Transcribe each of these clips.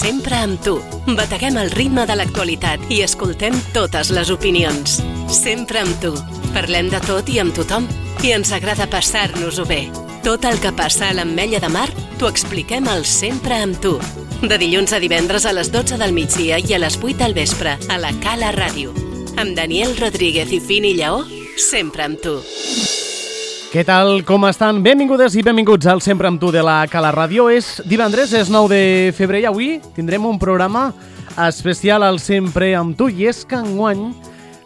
Sempre amb tu. Bateguem el ritme de l'actualitat i escoltem totes les opinions. Sempre amb tu. Parlem de tot i amb tothom. I ens agrada passar-nos-ho bé. Tot el que passa a l'Ametlla de Mar t'ho expliquem al Sempre amb tu. De dilluns a divendres a les 12 del migdia i a les 8 del vespre a la Cala Ràdio. Amb Daniel Rodríguez i Fini Lleó, sempre amb tu. Què tal, com estan? Benvingudes i benvinguts al Sempre amb tu de la Cala Ràdio. És divendres, és 9 de febrer i avui tindrem un programa especial al Sempre amb tu i és que enguany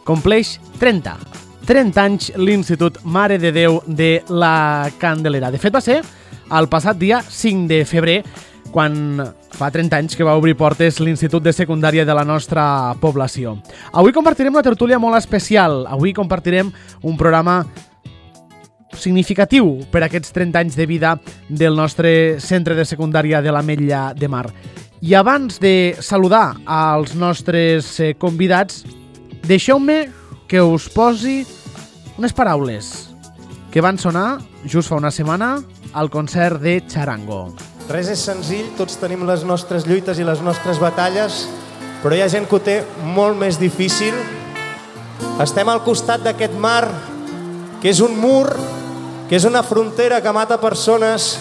compleix 30 anys l'Institut Mare de Déu de la Candelera. De fet, va ser el passat dia 5 de febrer quan fa 30 anys que va obrir portes l'Institut de Secundària de la nostra població. Avui compartirem una tertúlia molt especial. Avui compartirem un programa significatiu per aquests 30 anys de vida del nostre centre de secundària de l'Ametlla de Mar. I abans de saludar als nostres convidats, deixeu-me que us posi unes paraules que van sonar just fa una setmana al concert de Charango. Res és senzill, tots tenim les nostres lluites i les nostres batalles, però hi ha gent que ho té molt més difícil. Estem al costat d'aquest mar, que és un mur, que és una frontera que mata persones,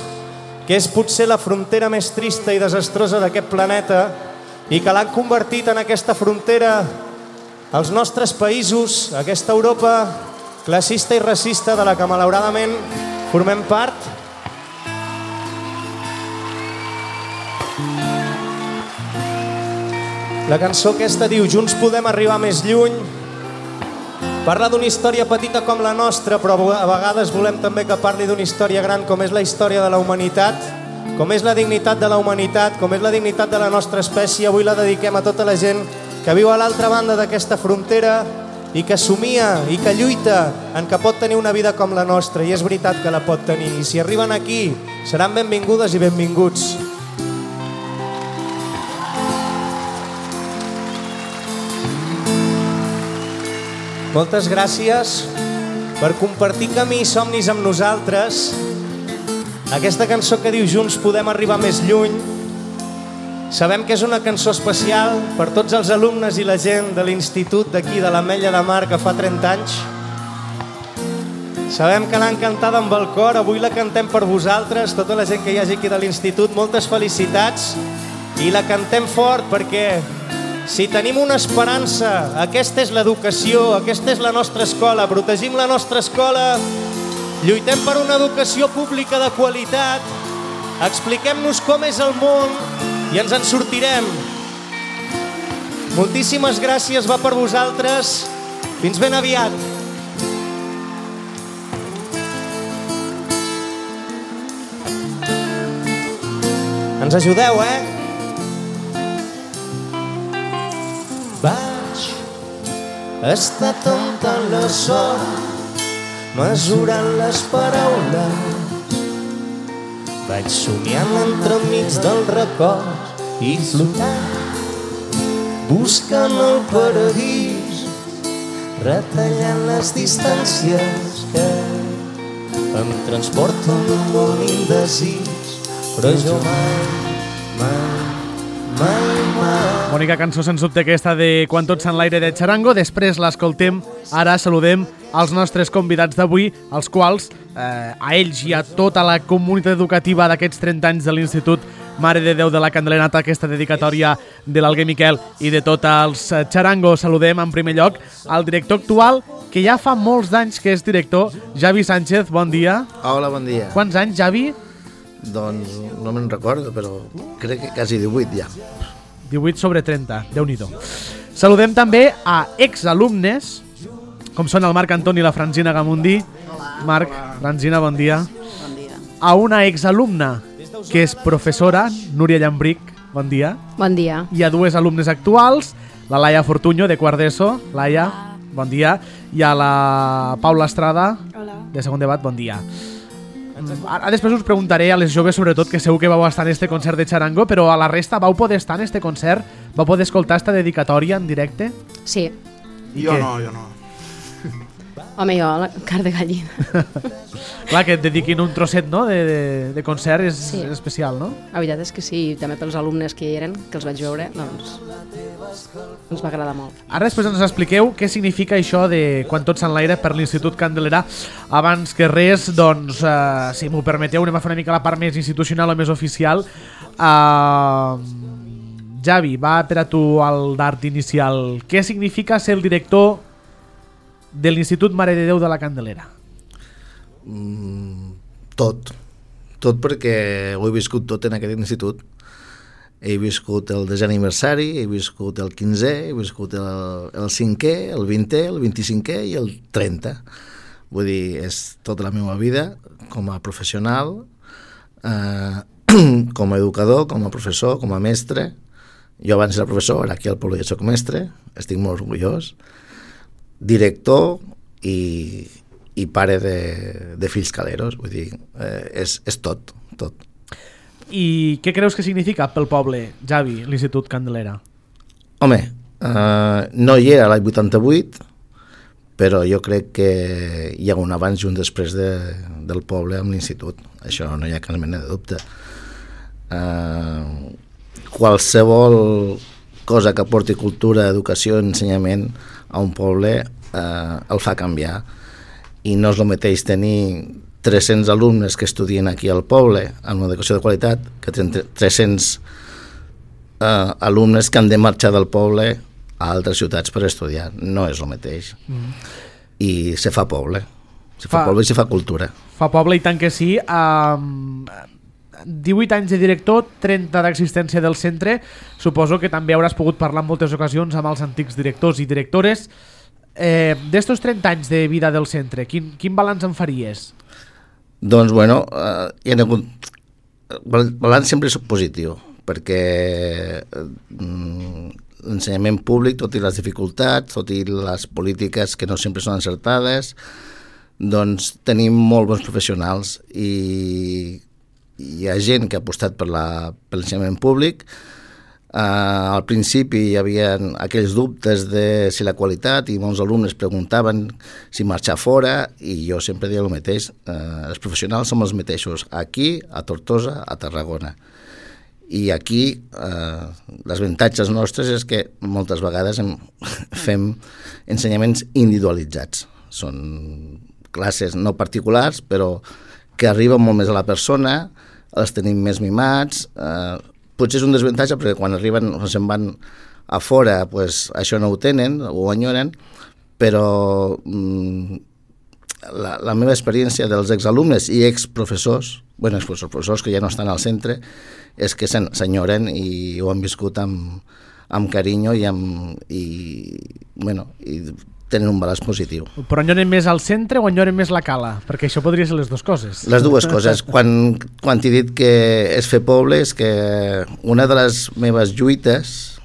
que és potser la frontera més trista i desastrosa d'aquest planeta i que l'han convertit en aquesta frontera als nostres països, aquesta Europa classista i racista de la que malauradament formem part. La cançó aquesta diu Junts podem arribar més lluny. Parla d'una història petita com la nostra, però a vegades volem també que parli d'una història gran com és la història de la humanitat, com és la dignitat de la humanitat, com és la dignitat de la nostra espècie. Avui la dediquem a tota la gent que viu a l'altra banda d'aquesta frontera i que somia i que lluita en que pot tenir una vida com la nostra, i és veritat que la pot tenir. I si arriben aquí, seran benvingudes i benvinguts. Moltes gràcies per compartir camí i somnis amb nosaltres. Aquesta cançó que diu Junts podem arribar més lluny, sabem que és una cançó especial per tots els alumnes i la gent de l'institut d'aquí, de l'Ametlla de Mar, que fa 30 anys. Sabem que l'han cantada amb el cor, avui la cantem per vosaltres, tota la gent que hi hagi aquí de l'institut. Moltes felicitats i la cantem fort perquè si tenim una esperança, aquesta és l'educació, aquesta és la nostra escola. Protegim la nostra escola, lluitem per una educació pública de qualitat, expliquem-nos com és el món i ens en sortirem. Moltíssimes gràcies, va per vosaltres. Fins ben aviat. Ens ajudeu, Vaig estar comptant la sort, mesurant les paraules. Vaig somiant entremig del record i flotant, buscant el paradís, retallant les distàncies que em transporten un món indecis, però jo mai. Bonica cançó, sens dubte, aquesta de Quan tot s'enlaire de Charango. Després l'escoltem, ara saludem als nostres convidats d'avui, als quals, a ells i a tota la comunitat educativa d'aquests 30 anys de l'Institut Mare de Déu de la Candelera, aquesta dedicatòria de l'Alguer Miquel i de tots els Charango. Saludem en primer lloc al director actual, que ja fa molts anys que és director, Javi Sánchez. Bon dia. Hola, bon dia. Quants anys, Javi? Doncs no me'n recordo, però crec que quasi 18 ja. 18 sobre 30, Déu-n'hi-do. Saludem també a exalumnes, com són el Marc Antoni i la Francina Gamundi. Hola. Marc, Francina, bon dia. Bon dia. A una exalumna, que és professora, Núria Llambric, bon dia. Bon dia. I a dues alumnes actuals, la Laia Fortuño, de quart d'ESO. Laia, bon dia. I a la Paula Estrada, de segon debat, bon dia. Ara després us preguntaré a les joves sobretot, que segur que vau estar en este concert de Charango, però a la resta vau poder estar en este concert? Vau poder escoltar esta dedicatòria en directe? Sí. Jo no. Home, jo, la carn de gallina. Clar, que et dediquin un trosset, no?, de concert és especial, no? La veritat és que sí, també pels alumnes que hi eren, que els vaig veure, doncs ens va agradar molt. Ara després ens expliqueu què significa això de Quan tot s'enlaira per l'Institut Candelera. Abans que res, doncs, si m'ho permeteu, anem a fer una mica la part més institucional o més oficial. Javi, va per a tu el dart inicial. Què significa ser el director de l'Institut Mare de Déu de la Candelera? Tot perquè ho he viscut tot en aquest institut. He viscut el 10è aniversari, he viscut el 15è, he viscut el 5è, el 20è, el 25è i el 30. Vull dir, és tota la meva vida com a professional, com a educador, com a professor, com a mestre. Jo abans era professor, ara aquí al poble ja soc mestre, estic molt orgullós. Director i pare de fills caleros, vull dir, és tot. I què creus que significa pel poble, Javi, l'Institut Candelera? Home, no hi era l'any 88, però jo crec que hi ha un abans i un després del poble amb l'institut. Això no hi ha cap mena de dubte. Qualsevol cosa que porti cultura, educació, ensenyament a un poble el fa canviar. I no és el mateix tenir 300 alumnes que estudien aquí al poble amb una educació de qualitat que 300 alumnes que han de marxar del poble a altres ciutats per estudiar. No és el mateix. I se fa poble. Se fa poble i se fa cultura. Fa poble i tant que sí. 18 anys de director, 30 d'existència del centre. Suposo que també hauràs pogut parlar en moltes ocasions amb els antics directors i directores. D'estos 30 anys de vida del centre, quin balanç en faries? Doncs, bueno, hi ha hagut... El balanç sempre és positiu, perquè l'ensenyament públic, tot i les dificultats, tot i les polítiques que no sempre són encertades, doncs tenim molt bons professionals i hi ha gent que ha apostat per l'ensenyament públic. Al principi hi havia aquells dubtes de si la qualitat i molts alumnes preguntaven si marxar fora i jo sempre deia el mateix, els professionals som els mateixos aquí, a Tortosa, a Tarragona, i aquí les avantatges nostres és que moltes vegades fem ensenyaments individualitzats, són classes no particulars però que arriben molt més a la persona, els tenim més mimats. Potser és un desavantatge perquè quan arriben o se'n van a fora pues, això no ho tenen o ho enyoren, però la meva experiència dels exalumnes i exprofessors, exprofessors que ja no estan al centre, és que s'enyoren i ho han viscut amb carinyo i tenen un balanç positiu. Però enyoren més al centre o enyoren més la cala? Perquè això podria ser les dues coses. Les dues coses. Quan t'he dit que és fer poble, és que una de les meves lluites,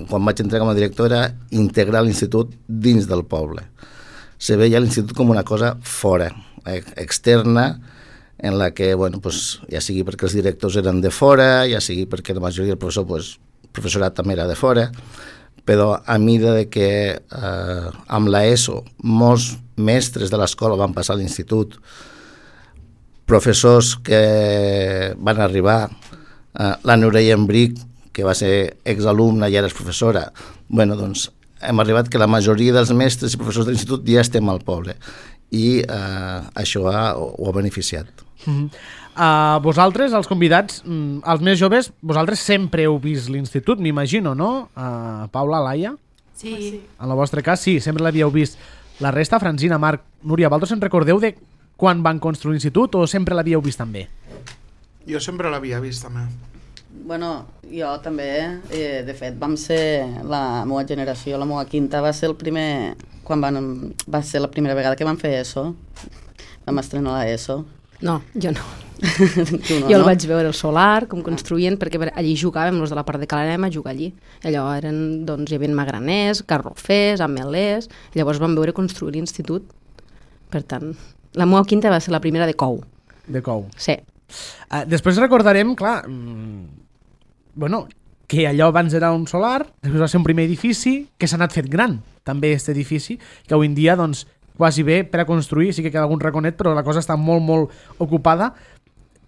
quan vaig entrar com a director, era integrar l'institut dins del poble. Se veia l'institut com una cosa fora, externa, en la que, ja sigui perquè els directors eren de fora, ja sigui perquè la majoria del professorat també era de fora, però a mida de que amb l'ESO molts mestres de l'escola van passar a l'institut, professors que van arribar, la Núria Embric, que va ser exalumna i ara és professora, doncs hem arribat que la majoria dels mestres i professors de l'institut ja estem al poble i això ho ha beneficiat. Vosaltres, els convidats, els més joves, vosaltres sempre heu vist l'institut, m'imagino, no? Paula, Laia? Sí. En el vostre cas, sí, sempre l'havíeu vist. La resta, Francina, Marc, Núria, vosaltres en recordeu de quan van construir l'institut o sempre l'havíeu vist també? Jo sempre l'havia vist també. Bueno, jo també, de fet, vam ser la meva generació, la meva quinta, va ser va ser la primera vegada que vam fer ESO, vam estrenar l'ESO. No, jo no. Tu no, jo el no? vaig veure al solar, com construïen, perquè allí jugàvem, els de la part de Calarem a jugar allí. Allò hi havia magraners, garrofers, amelers, i llavors vam veure construir l'institut. Per tant, la meva quinta va ser la primera de Cou. De Cou. Sí. Després recordarem, clar, que allò abans era un solar, després va ser un primer edifici, que s'ha anat fet gran, també, aquest edifici, que avui en dia, quasi bé per a construir, sí que queda algun raconet, però la cosa està molt, molt ocupada.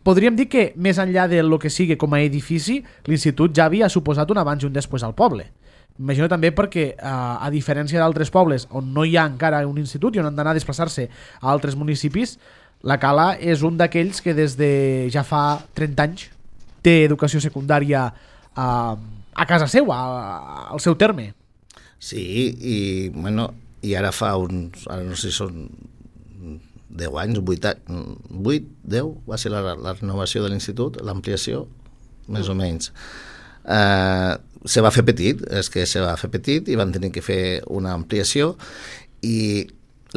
Podríem dir que, més enllà de lo que sigui com a edifici, l'institut ja havia suposat un abans i un després al poble. M'imagino també perquè, a diferència d'altres pobles on no hi ha encara un institut i on han d'anar a desplaçar-se a altres municipis, la Cala és un d'aquells que des de ja fa 30 anys té educació secundària a casa seu, al seu terme. Sí, i ara fa uns, ara no sé si són 10 anys, 8, 10, va ser la renovació de l'institut, l'ampliació, més o menys. Se va fer petit, i van tenir que fer una ampliació, i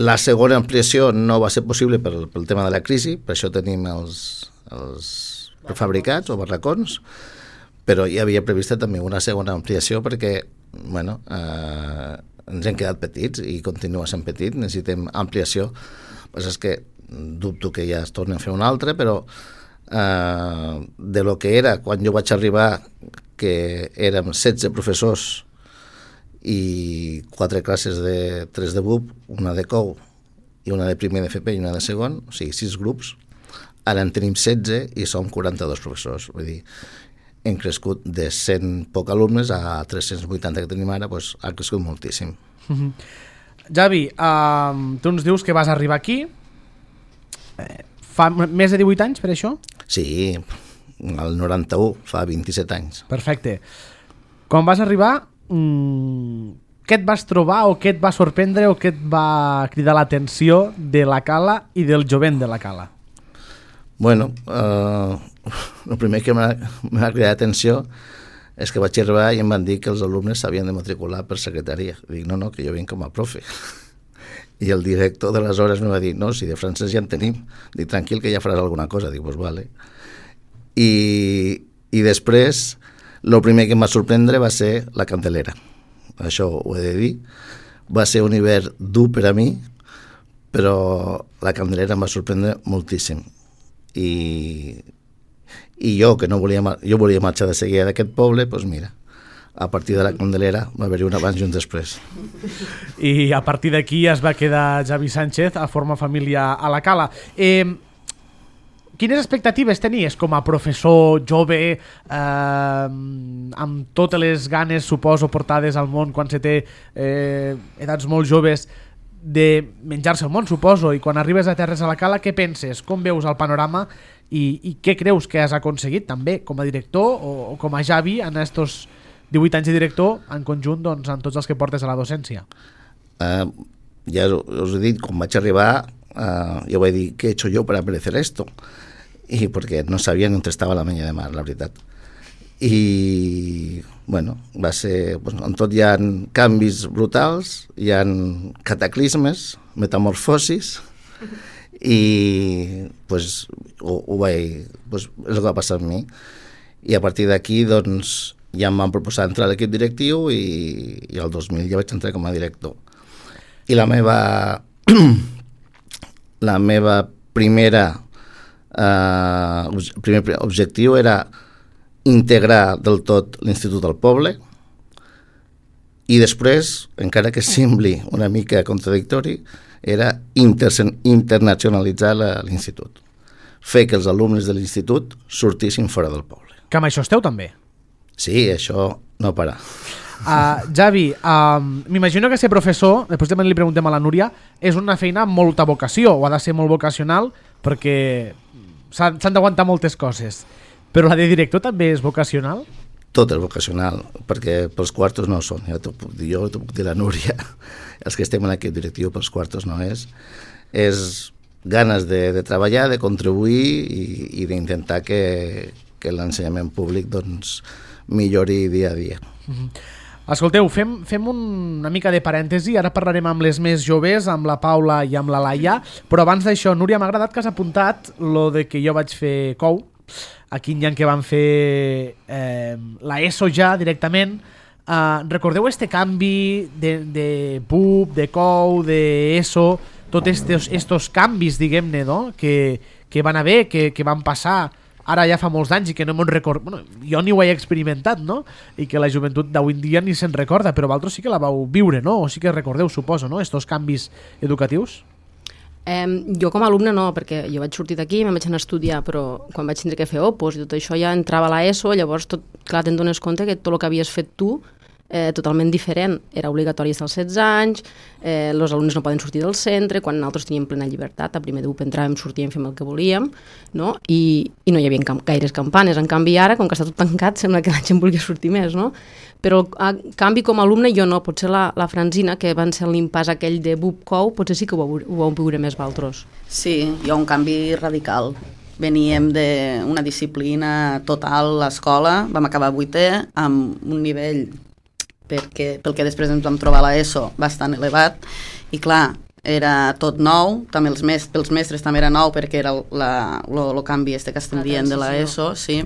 la segona ampliació no va ser possible pel tema de la crisi, per això tenim els prefabricats o barracons, però hi havia prevista també una segona ampliació perquè ens hem quedat petits i continua sent petit, necessitem ampliació. El que és que dubto que ja es torni a fer una altra, però de lo que era quan jo vaig arribar, que érem 16 professors i 4 classes de 3 de BUP, una de COU i una de primer d'FP i una de segon, o sigui, 6 grups. Ara en tenim 16 i som 42 professors. Vull dir, hem crescut de 100 poc alumnes a 380 que tenim ara, doncs ha crescut moltíssim. Javi, tu ens dius que vas arribar aquí fa més de 18 anys per això? Sí, el 91, fa 27 anys. Perfecte. Quan vas arribar, què et vas trobar o què et va sorprendre o què et va cridar l'atenció de la Cala i del jovent de la Cala? Bueno, el primer que m'ha cridat atenció és que vaig arribar i em van dir que els alumnes s'havien de matricular per secretaria. Dic, no, que jo vinc com a profe. I el director d'aleshores em va dir, no, si de francès ja en tenim. Dic, tranquil, que ja faràs alguna cosa. Dic, pues vale. I després, el primer que em va sorprendre va ser la Candelera. Això ho he de dir. Va ser un hivern dur per a mi, però la Candelera em va sorprendre moltíssim. I jo, que volia marxar de seguida d'aquest poble, doncs mira, a partir de la Candelera va haver-hi un abans i un després. I a partir d'aquí es va quedar Javi Sánchez a formar família a la Cala. Quines expectatives tenies com a professor jove, amb totes les ganes, suposo, portades al món quan se té edats molt joves, de menjar-se el món, suposo, i quan arribes a terres a la Cala, què penses? Com veus el panorama i què creus que has aconseguit també com a director o com a Javi en estos 18 anys de director en conjunt, doncs, en tots els que portes a la docència? Ja us he dit, quan vaig arribar jo vaig dir, què he hecho yo para merecer esto? I perquè no sabia on estava la menya de mar, la veritat. I bueno, va ser, en tot hi ha canvis brutals, hi ha cataclismes, metamorfosis, i pues, és el que va passar amb mi. I a partir d'aquí doncs, ja em van proposar entrar a l'equip directiu i el 2000 ja vaig entrar com a director. I la meva primer objectiu era integrar del tot l'Institut al poble i després, encara que sembli una mica contradictori, era internacionalitzar l'Institut. Fer que els alumnes de l'Institut sortissin fora del poble. Que amb això esteu també? Sí, això no para. Javi, m'imagino que ser professor, després també li preguntem a la Núria, és una feina amb molta vocació, o ha de ser molt vocacional, perquè s'han d'aguantar moltes coses. Però la de director també és vocacional? Tot és vocacional, perquè pels quartos no són. Jo t'ho puc dir la Núria. Els que estem en l'equip directiu pels quartos no és. És ganes de treballar, de contribuir i d'intentar que l'ensenyament públic doncs, millori dia a dia. Escolteu, fem una mica de parèntesi, ara parlarem amb les més joves, amb la Paula i amb la Laia, però abans d'això, Núria, m'ha agradat que has apuntat lo de que jo vaig fer COU, aquí n'hi ha que van fer la ESO ja directament. Recordeu este canvi de PUP, de COU, de ESO, tots estos canvis, diguem-ne, no? que van haver, que van passar ara ja fa molts anys i que no me'n recordo... Bueno, jo ni ho he experimentat, no? I que la joventut d'avui en dia ni se'n recorda, però vosaltres sí que la vau viure, no? O sí que recordeu, suposo, no? Estos canvis educatius? Jo com a alumne no, perquè jo vaig sortir d'aquí i me'n vaig anar a estudiar, però quan vaig tindre que fer opos i tot això ja entrava a l'ESO, llavors clar, te'n dones compte que tot el que havies fet tu totalment diferent. Era obligatori estar als 16 anys, els alumnes no poden sortir del centre, quan nosaltres teníem plena llibertat, a primer d'UP entràvem, sortíem, fèiem el que volíem, no? I no hi havia gaires campanes. En canvi ara, com que està tot tancat, sembla que la gent vulgui sortir més, no? Però a canvi com a alumne jo no, potser la Francina, que van ser l'impàs aquell de BUP-COU, potser sí que ho vau viure més vosaltres. Sí, hi ha un canvi radical. Veníem d'una disciplina total a l'escola, vam acabar 8è amb un nivell pel que després ens vam trobar a l'ESO bastant elevat, i clar, era tot nou, també pels mestres també era nou perquè era el canvi que estem dient de l'ESO, sí.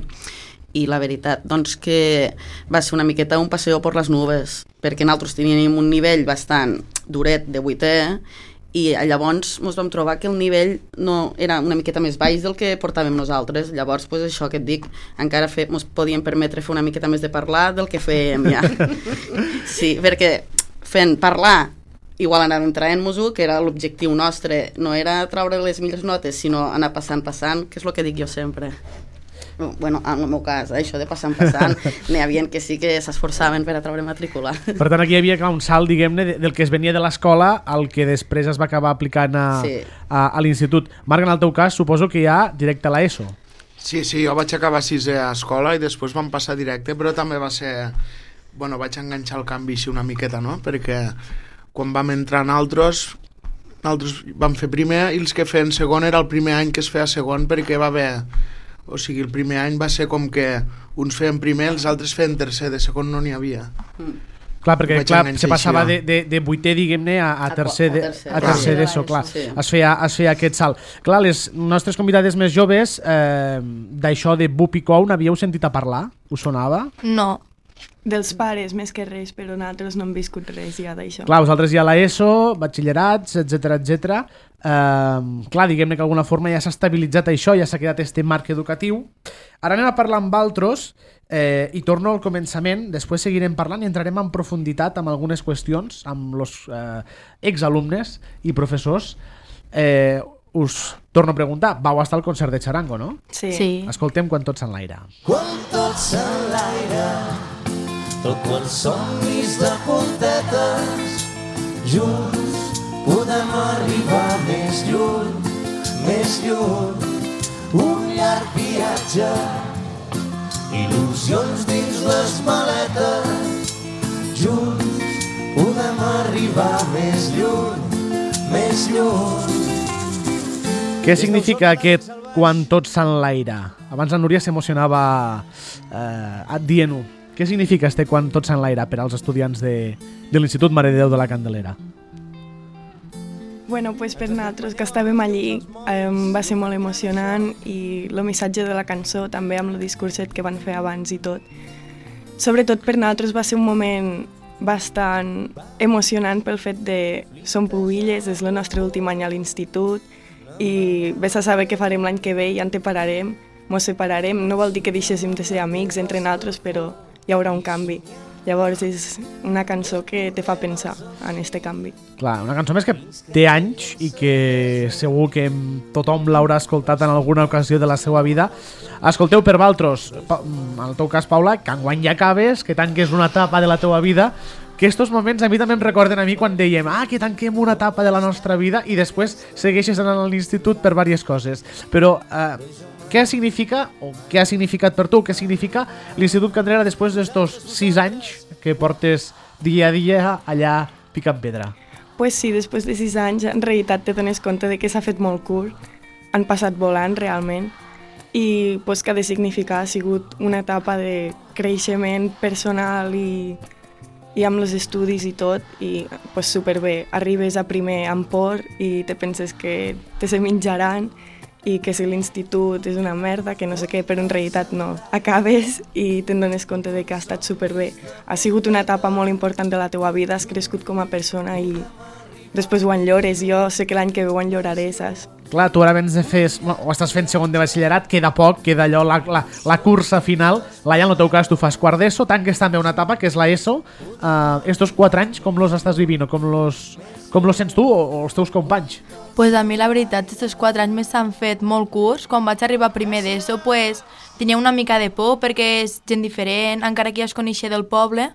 I la veritat, doncs que va ser una miqueta un passeó per les nubes, perquè nosaltres teníem un nivell bastant duret de 8è, i llavors ens vam trobar que el nivell no era una miqueta més baix del que portàvem nosaltres. Llavors, pues, això que et dic, encara ens podíem permetre fer una miqueta més de parlar del que fèiem ja. Sí, perquè fent parlar, igual anàvem traient-nos-ho, que era l'objectiu nostre, no era treure les millors notes, sinó anar passant, que és el que dic jo sempre. Bueno, en el meu cas, això de passant, n'hi havia que sí que s'esforçaven per a treure matrícula. Per tant, aquí hi havia un salt, diguem-ne, del que es venia de l'escola al que després es va acabar aplicant a l'institut. Marc, en el teu cas, suposo que ja directe a l'ESO. Sí, jo vaig acabar 6è a escola i després vam passar directe, però també va ser... Bueno, vaig enganxar el canvi així una miqueta, no? Perquè quan vam entrar nosaltres vam fer primer i els que feien segon era el primer any que es feia segon perquè va haver... O sigui, el primer any va ser com que uns feien primer, els altres feien tercer, de segon no n'hi havia. Clar, perquè se passava de 8è, diguem-ne, a tercer d'ESO, clar. Sí. Es feia aquest salt. Clar, les nostres convidades més joves, d'això de BUP i COU, n'havíeu sentit a parlar? Us sonava? No, dels pares més que res, però nosaltres no hem viscut res ja d'això. Clar, vosaltres ja a l'ESO, batxillerats, etc. Clar, diguem-ne que d'alguna forma ja s'ha estabilitzat això, ja s'ha quedat este marc educatiu. Ara anem a parlar amb altres i torno al començament, després seguirem parlant i entrarem en profunditat amb algunes qüestions amb els exalumnes i professors. Us torno a preguntar, vau estar al concert de Charango, no? Sí. Escoltem Quan tots s'enlaire. Quan tots s'enlaire, tot quan somnis de puntetes, junts podem arribar més lluny, un llarg viatge, il·lusions dins les maletes, junts podem arribar més lluny. Què significa aquest Quan tots s'enlaire? Abans la Núria s'emocionava dient-ho. Què significa este Quan tots s'enlaire per als estudiants de l'Institut Mare de Déu de la Candelera? Bueno, pues per nosaltres que estàvem allí va ser molt emocionant i el missatge de la cançó també amb el discurset que van fer abans i tot. Sobretot per nosaltres va ser un moment bastant emocionant pel fet de som pubilles, és el nostre últim any a l'institut i vés a saber què farem l'any que ve i ja ens separarem. No vol dir que deixéssim de ser amics entre nosaltres, però hi haurà un canvi. Llavors és una cançó que te fa pensar en este canvi. Clar, una cançó més que té anys i que segur que tothom l'haurà escoltat en alguna ocasió de la seva vida. Escolteu per vosaltres, en el teu cas, Paula, que enguany ja acabes, que tanques una etapa de la teua vida, que estos moments a mi també em recorden a mi quan dèiem que tanquem una etapa de la nostra vida i després segueixes anant a l'institut per diverses coses. Però què significa, o què ha significat per tu, què significa l'Institut Candelera després d'estos 6 anys que portes dia a dia allà picant pedra? Pues sí, després de 6 anys en realitat te dones compte de que s'ha fet molt curt, han passat volant realment i pues, que ha de significar ha sigut una etapa de creixement personal i amb els estudis i tot i pues, superbé. Arribes a primer amb por i te penses que te se menjaran i que si l'institut és una merda, que no sé què, però en realitat no. Acabes i te'n dones compte de que ha estat superbé. Ha sigut una etapa molt important de la teua vida, has crescut com a persona i després ho enllores. Jo sé que l'any que ve ho enlloraré, saps? Clar, tu ara vens de fer, o estàs fent segon de batxillerat, queda poc, queda allò, la cursa final. Laia, en el teu cas, tu fas quart d'ESO, tanques també una etapa, que és la ESO. Estos 4 anys, com los estàs vivint? Com los sents tu o els teus companys? Pues a mi la veritat, aquests 4 anys més s'han fet molt curts. Quan vaig arribar a primer d'ESO, pues, tenia una mica de por perquè és gent diferent, encara que ja es coneixia del poble,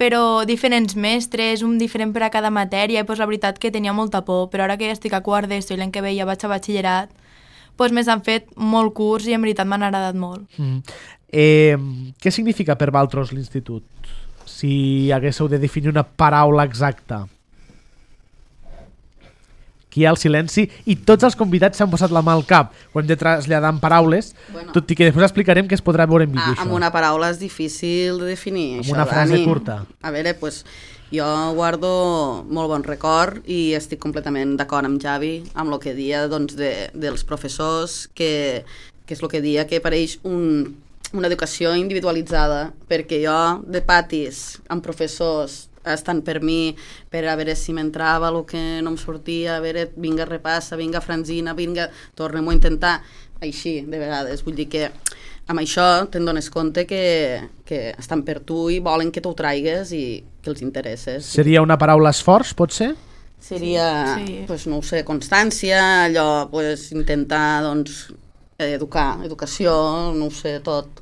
però diferents mestres, un diferent per a cada matèria, i pues, la veritat que tenia molta por, però ara que ja estic a quart d'ESO i l'any que ve ja vaig a batxillerat, pues, més han fet molt curts i en veritat m'han agradat molt. Què significa per vosaltres l'institut? Si haguéssiu de definir una paraula exacta. Aquí hi ha el silenci i tots els convidats s'han posat la mà al cap. Ho hem de traslladar en paraules, tot i que després explicarem que es podrà veure en vídeo. Amb una paraula és difícil de definir. Amb això, una frase Dani. curta. A veure, pues, jo guardo molt bon record i estic completament d'acord amb Javi, amb el que dia doncs, dels professors, que és el que dia que apareix una educació individualitzada, perquè jo de patis amb professors estan per mi, per a veure si m'entrava el que no em sortia, a veure, vinga, repassa, vinga, Franzina, vinga, tornem-ho a intentar, així, de vegades. Vull dir que amb això te'n dones compte que estan per tu i volen que t'ho traigues i que els interesses. Seria una paraula esforç, pot ser? Seria, Sí. pues, no ho sé, constància, allò, pues, intentar, doncs, educació, no ho sé, tot.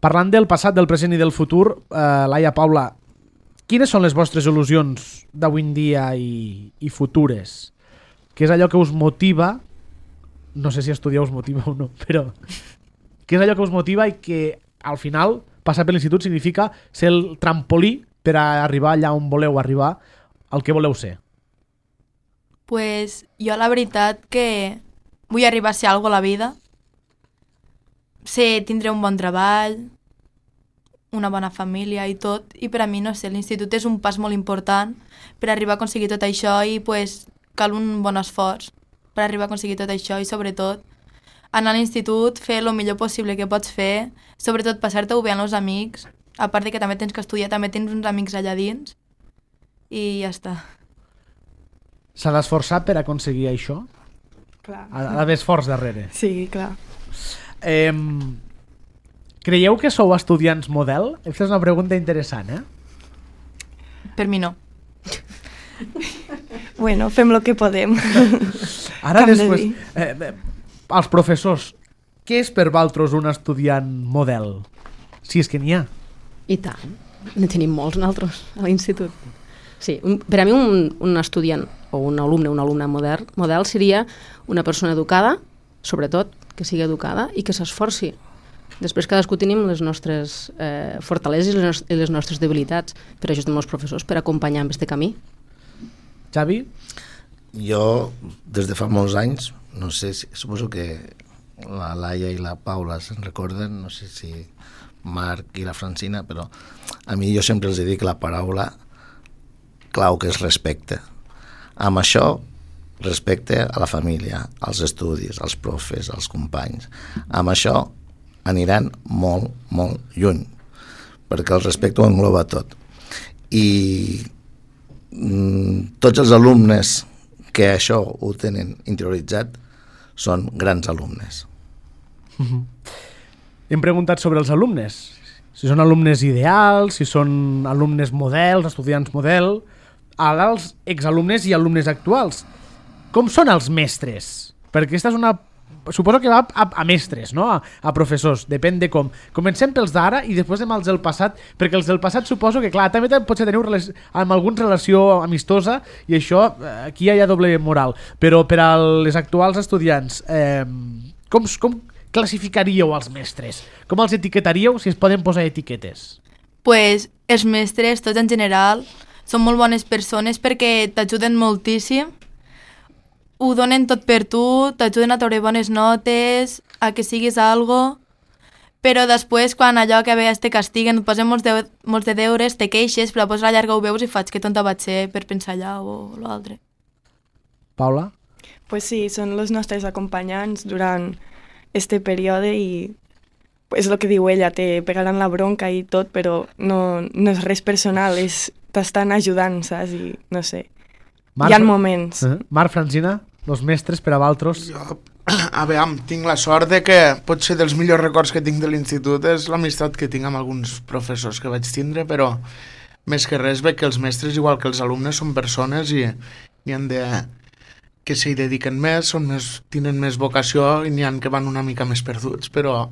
Parlant del passat, del present i del futur, Laia, Paula, quines són les vostres il·lusions d'avui en dia i futures? Què és allò que us motiva? No sé si estudiar us motiva o no, però què és allò que us motiva i que al final passar per l'institut significa ser el trampolí per a arribar allà on voleu arribar, al que voleu ser? Pues jo la veritat que vull arribar a ser alguna cosa a la vida. Tindré un bon treball, una bona família i tot, i per a mi, no sé, l'institut és un pas molt important per arribar a aconseguir tot això i pues, cal un bon esforç per arribar a aconseguir tot això i sobretot anar a l'institut, fer el millor possible que pots fer, sobretot passar-te-ho bé amb els amics, a part de que també tens que estudiar, també tens uns amics allà dins i ja està. S'ha d'esforçar per aconseguir això? Clar. Ha d'haver esforç darrere. Sí, clar. Creieu que sou estudiants model? Aquesta és una pregunta interessant, Per mi no. Bueno, fem el que podem. Ara Com de després, dir. els professors, què és per vosaltres un estudiant model? Si és que n'hi ha. I tant. Ne tenim molts nosaltres a l'institut. Sí, per a mi un estudiant o un alumne model seria una persona educada, sobretot que sigui educada i que s'esforci. Després cadascú tenim les nostres fortaleses i les nostres debilitats. Per això estem els professors, per acompanyar en aquest camí. Xavi? Jo, des de fa molts anys, no sé, suposo que la Laia i la Paula se'n recorden, no sé si Marc i la Francina, però a mi jo sempre els dic la paraula clau, que és respecte. Amb això, respecte a la família, als estudis, als profes, als companys. Amb això aniran molt, molt lluny, perquè el respecte ho engloba tot. I tots els alumnes que això ho tenen interioritzat són grans alumnes. Hem preguntat sobre els alumnes, si són alumnes ideals, si són alumnes models, estudiants model, ara els exalumnes i alumnes actuals. Com són els mestres? Perquè aquesta és una... Suposo que va a mestres, no? A professors, depèn de com. Comencem pels d'ara i després anem als del passat, perquè els del passat suposo que, clar, també potser teniu amb alguna relació amistosa i això, aquí hi ha doble moral. Però per als actuals estudiants, com classificaríeu els mestres? Com els etiquetaríeu, si es poden posar etiquetes? Pues els mestres, tots en general, són molt bones persones perquè t'ajuden moltíssim, ho donen tot per tu, t'ajuden a treure bones notes, a que siguis algo, però després quan allò que veies te castiguen, et posen molts de deures, te queixes, però després a la llarga ho veus i faig que tonta vaig ser per pensar allà o l'altre. Paula? Pues sí, són els nostres acompanyants durant este període i és el que diu ella, te pegaran la bronca i tot, però no és res personal, és t'estan ajudant, saps? I no sé, hi ha moments. Marc, Francina, los mestres per a vosaltres. Jo, a veure, tinc la sort de que potser dels millors records que tinc de l'institut és l'amistat que tinc amb alguns professors que vaig tindre, però més que res veig que els mestres, igual que els alumnes, són persones i han de que s'hi dediquen més, tenen més vocació i n'hi ha que van una mica més perduts, però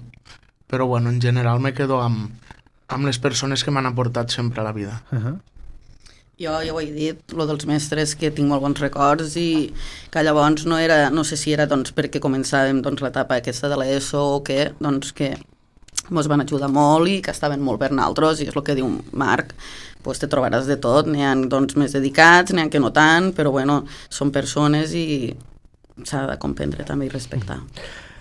bueno, en general me quedo amb les persones que m'han aportat sempre a la vida. Jo ja ho he dit, lo dels mestres, que tinc molt bons records i que llavors no sé si era doncs, perquè començàvem doncs, l'etapa aquesta de l'ESO o què, doncs que ens van ajudar molt i que estaven molt per nosaltres, i és el que diu Marc, pues te trobaràs de tot, n'hi ha doncs, més dedicats, n'hi ha que no tant, però bueno, són persones i s'ha de comprendre també i respectar.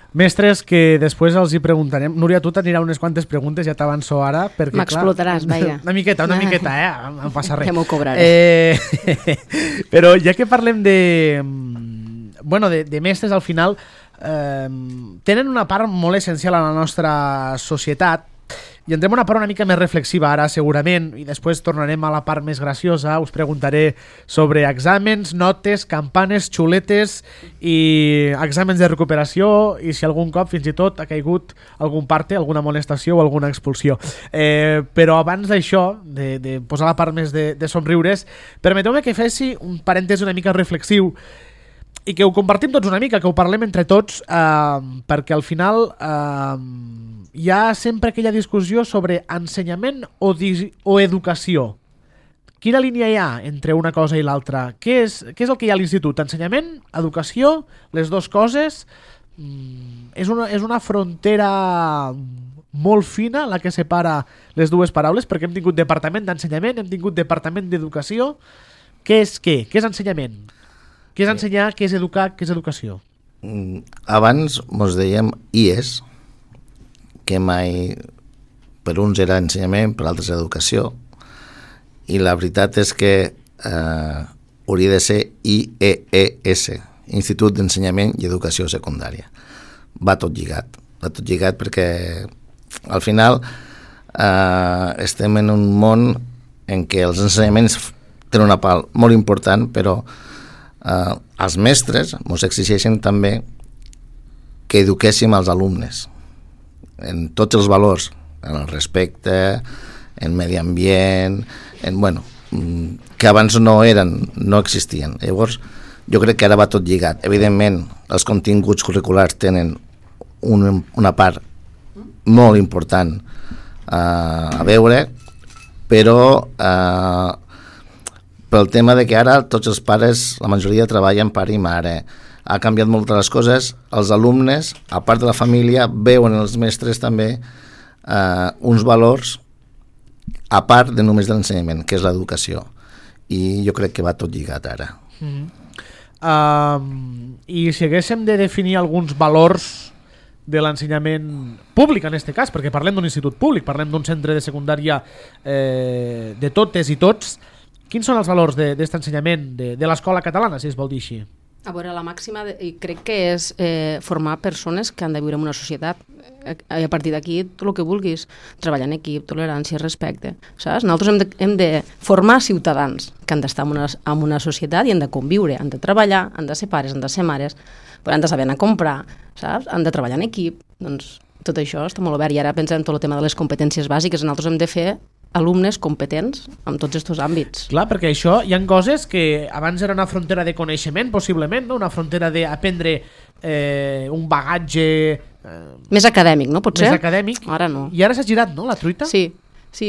Mestres que després els hi preguntarem. Núria, tu t'anirà unes quantes preguntes, ja t'avanço ara. M'explotaràs, vaja. Una miqueta, no passa res. Ja m'ho cobraré. Però ja que parlem de mestres, al final tenen una part molt essencial a la nostra societat. I entrem a una part una mica més reflexiva ara, segurament, i després tornarem a la part més graciosa. Us preguntaré sobre exàmens, notes, campanes, xuletes i exàmens de recuperació, i si algun cop fins i tot ha caigut algun parte, alguna molestació o alguna expulsió. Però abans d'això, de posar la part més de somriures, permeteu-me que faci un parèntesi una mica reflexiu i que ho compartim tots una mica, que ho parlem entre tots, perquè al final hi ha sempre aquella discussió sobre ensenyament o educació. Quina línia hi ha entre una cosa i l'altra? Què és el que hi ha a l'institut? Ensenyament? Educació? Les dues coses? És una frontera molt fina la que separa les dues paraules, perquè hem tingut departament d'ensenyament, hem tingut departament d'educació. Què és què? Què és ensenyament? Què és ensenyar? Què és educar? Què és educació? Abans mos dèiem IES, que mai per uns era ensenyament, per altres educació, i la veritat és que hauria de ser IEES, Institut d'Ensenyament i Educació Secundària. Va tot lligat perquè al final estem en un món en què els ensenyaments tenen una part molt important, però els mestres ens exigeixen també que eduquéssim els alumnes en tots els valors, en el respecte, en medi ambient, que abans no existien. Llavors, jo crec que ara va tot lligat. Evidentment, els continguts curriculars tenen una part molt important a veure, però pel tema de que ara tots els pares, la majoria treballen pare i mare, ha canviat molt les coses, els alumnes, a part de la família, veuen els mestres també uns valors a part de només de l'ensenyament, que és l'educació. I jo crec que va tot lligat ara. I si haguéssim de definir alguns valors de l'ensenyament públic en aquest cas, perquè parlem d'un institut públic, parlem d'un centre de secundària de totes i tots, quins són els valors d'aquest ensenyament de l'escola catalana, si es vol dir així? A veure, la màxima, crec que és formar persones que han de viure en una societat. A partir d'aquí, tot el que vulguis, treballar en equip, tolerància, respecte, saps? Nosaltres hem de formar ciutadans que han d'estar en una societat i han de conviure, han de treballar, han de ser pares, han de ser mares, però han de saber anar a comprar, saps? Han de treballar en equip, doncs tot això està molt obert. I ara pensem en tot el tema de les competències bàsiques, nosaltres hem de fer alumnes competents en tots aquests àmbits. Clar, perquè això hi ha coses que abans era una frontera de coneixement, possiblement, no? Una frontera d'aprendre un bagatge... més acadèmic, no? Potser? Més acadèmic. Ara no. I ara s'ha girat, no, la truita? Sí,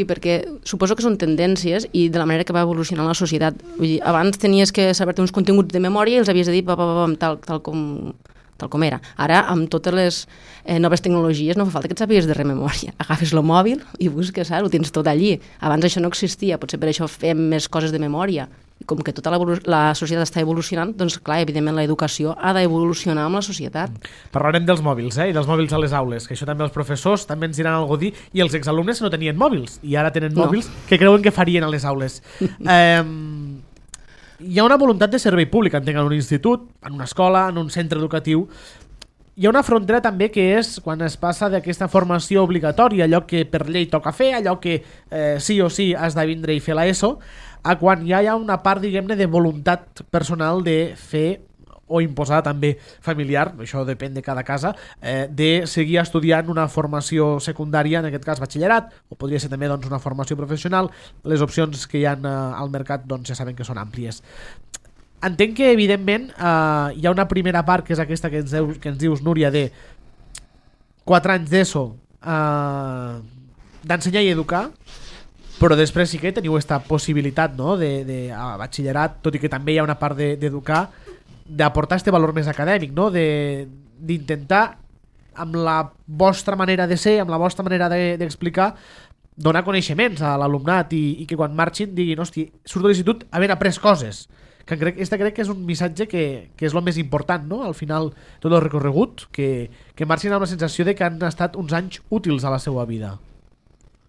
perquè suposo que són tendències i de la manera que va evolucionar la societat. Vull dir, abans tenies que saber-te uns continguts de memòria i els havies de dir tal com era. Ara, amb totes les noves tecnologies, no fa falta que et sàpigues de memòria. Agafes el mòbil i busques, saps? Ho tens tot allí. Abans això no existia, potser per això fem més coses de memòria. I com que tota la societat està evolucionant, doncs clar, evidentment l'educació ha d'evolucionar amb la societat. Parlarem dels mòbils, i dels mòbils a les aules, que això també els professors també ens diran alguna cosa dir, i els exalumnes no tenien mòbils, i ara tenen mòbils que creuen que farien a les aules. Hi ha una voluntat de servei públic, entenc, en un institut, en una escola, en un centre educatiu. Hi ha una frontera també que és quan es passa d'aquesta formació obligatòria, allò que per llei toca fer, allò que sí o sí has de vindre i fer l'ESO, a quan ja hi ha una part, diguem-ne, de voluntat personal de fer o imposada també familiar, això depèn de cada casa, de seguir estudiant una formació secundària, en aquest cas batxillerat, o podria ser també doncs, una formació professional. Les opcions que hi ha al mercat doncs, ja saben que són àmplies. Entenc que, evidentment, hi ha una primera part, que és aquesta que ens dius, Núria, de 4 anys d'ESO d'ensenyar i educar, però després sí que teniu aquesta possibilitat, no?, de batxillerat, tot i que també hi ha una part d'educar, d'aportar este valor més acadèmic, no?, d'intentar, amb la vostra manera de ser, amb la vostra manera d'explicar, donar coneixements a l'alumnat i que quan marxin diguin, hosti, surto de l'institut havent après coses. Que crec que és un missatge que és el més important, no?, al final, tot el recorregut, que marxin amb la sensació de que han estat uns anys útils a la seva vida.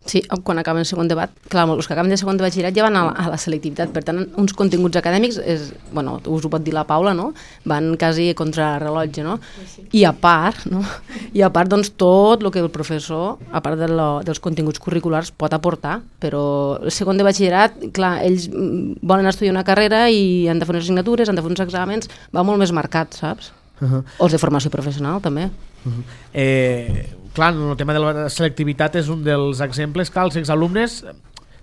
Sí, quan acaben el segon debat, clar, els que acaben de segon de batxillerat ja van a la selectivitat, per tant, uns continguts acadèmics, bueno, us ho pot dir la Paula, no?, van quasi contra rellotge, no?, i a part, no?, doncs tot el que el professor, a part dels continguts curriculars, pot aportar, però el segon de batxillerat, clar, ells volen estudiar una carrera i han de fer unes assignatures, han de fer uns exàmens, va molt més marcat, saps? O els de formació professional, també. Clar, el tema de la selectivitat és un dels exemples. Clar, els exalumnes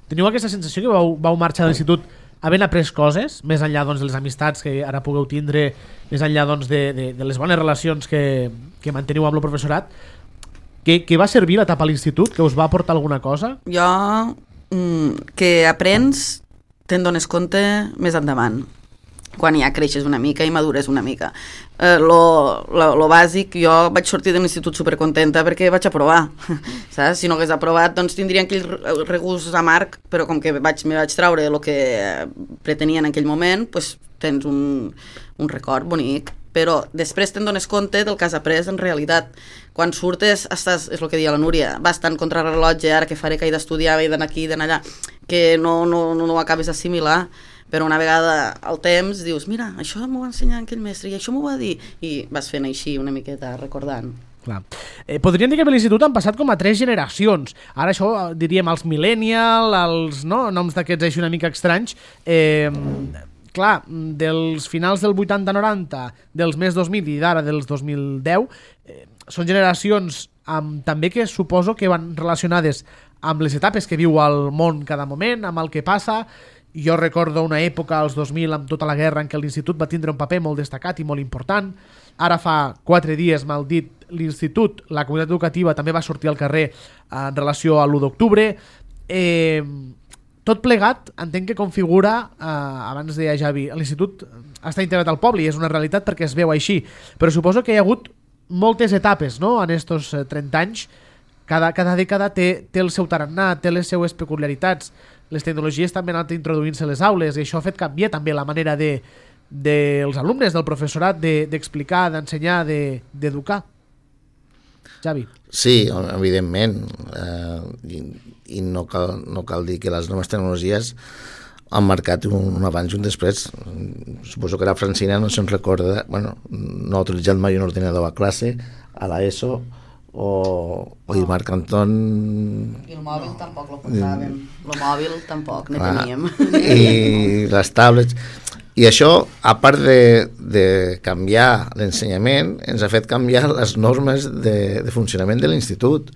teniu aquesta sensació que vau marxar de l'institut havent après coses, més enllà doncs, de les amistats que ara pugueu tindre, més enllà doncs, de les bones relacions que manteniu amb el professorat. Què va servir l'etapa a l'institut? Que us va aportar alguna cosa? Jo, que aprens, te'n dones compte més endavant, quan ja creixes una mica i madures una mica. Lo bàsic, jo vaig sortir de l'institut supercontenta perquè vaig aprovar, saps? Si no hagués aprovat, doncs tindria aquell regust amarg, però com que me vaig traure el que pretenia en aquell moment, doncs tens un record bonic, però després te'n dones compte del que has après en realitat. Quan surtes, estàs, és el que deia la Núria, vas tan contra el rellotge, ara que faré que he d'estudiar, he d'anar aquí, he d'anar allà, que no ho acabes d'assimilar. Però una vegada al temps dius, mira, això m'ho va ensenyar aquell mestre i això m'ho va dir, i vas fent així una miqueta recordant. Clar. Podríem dir que a l'institut han passat com a 3 generacions. Ara això diríem els millennials, els noms d'aquests així una mica estranys. Clar, dels finals del 80-90, dels més 2000 i d'ara dels 2010, són generacions també que suposo que van relacionades amb les etapes que viu el món cada moment, amb el que passa. Jo recordo una època, als 2000, amb tota la guerra, en què l'institut va tindre un paper molt destacat i molt important. Ara fa 4 dies, mal dit, l'institut, la comunitat educativa també va sortir al carrer en relació a l'1 d'octubre. Tot plegat, entenc que configura, abans deia Javi, l'institut està integrat al poble i és una realitat perquè es veu així, però suposo que hi ha hagut moltes etapes, no?, en estos 30 anys. Cada dècada té el seu tarannà, té les seues peculiaritats. Les tecnologies també han anat introduint-se a les aules i això ha fet canviar també la manera dels alumnes, del professorat, d'explicar, d'ensenyar, d'educar. Javi. Sí, evidentment. I no cal dir que les noves tecnologies han marcat un abans i un després. Suposo que la Francina no se'n recorda, bueno, no ha utilitzat mai un ordinador a classe, a l'ESO, o el Marc Anton... I el mòbil tampoc lo portàvem. El mòbil tampoc ne teníem. I les tablets... I això, a part de canviar l'ensenyament, ens ha fet canviar les normes de funcionament de l'institut.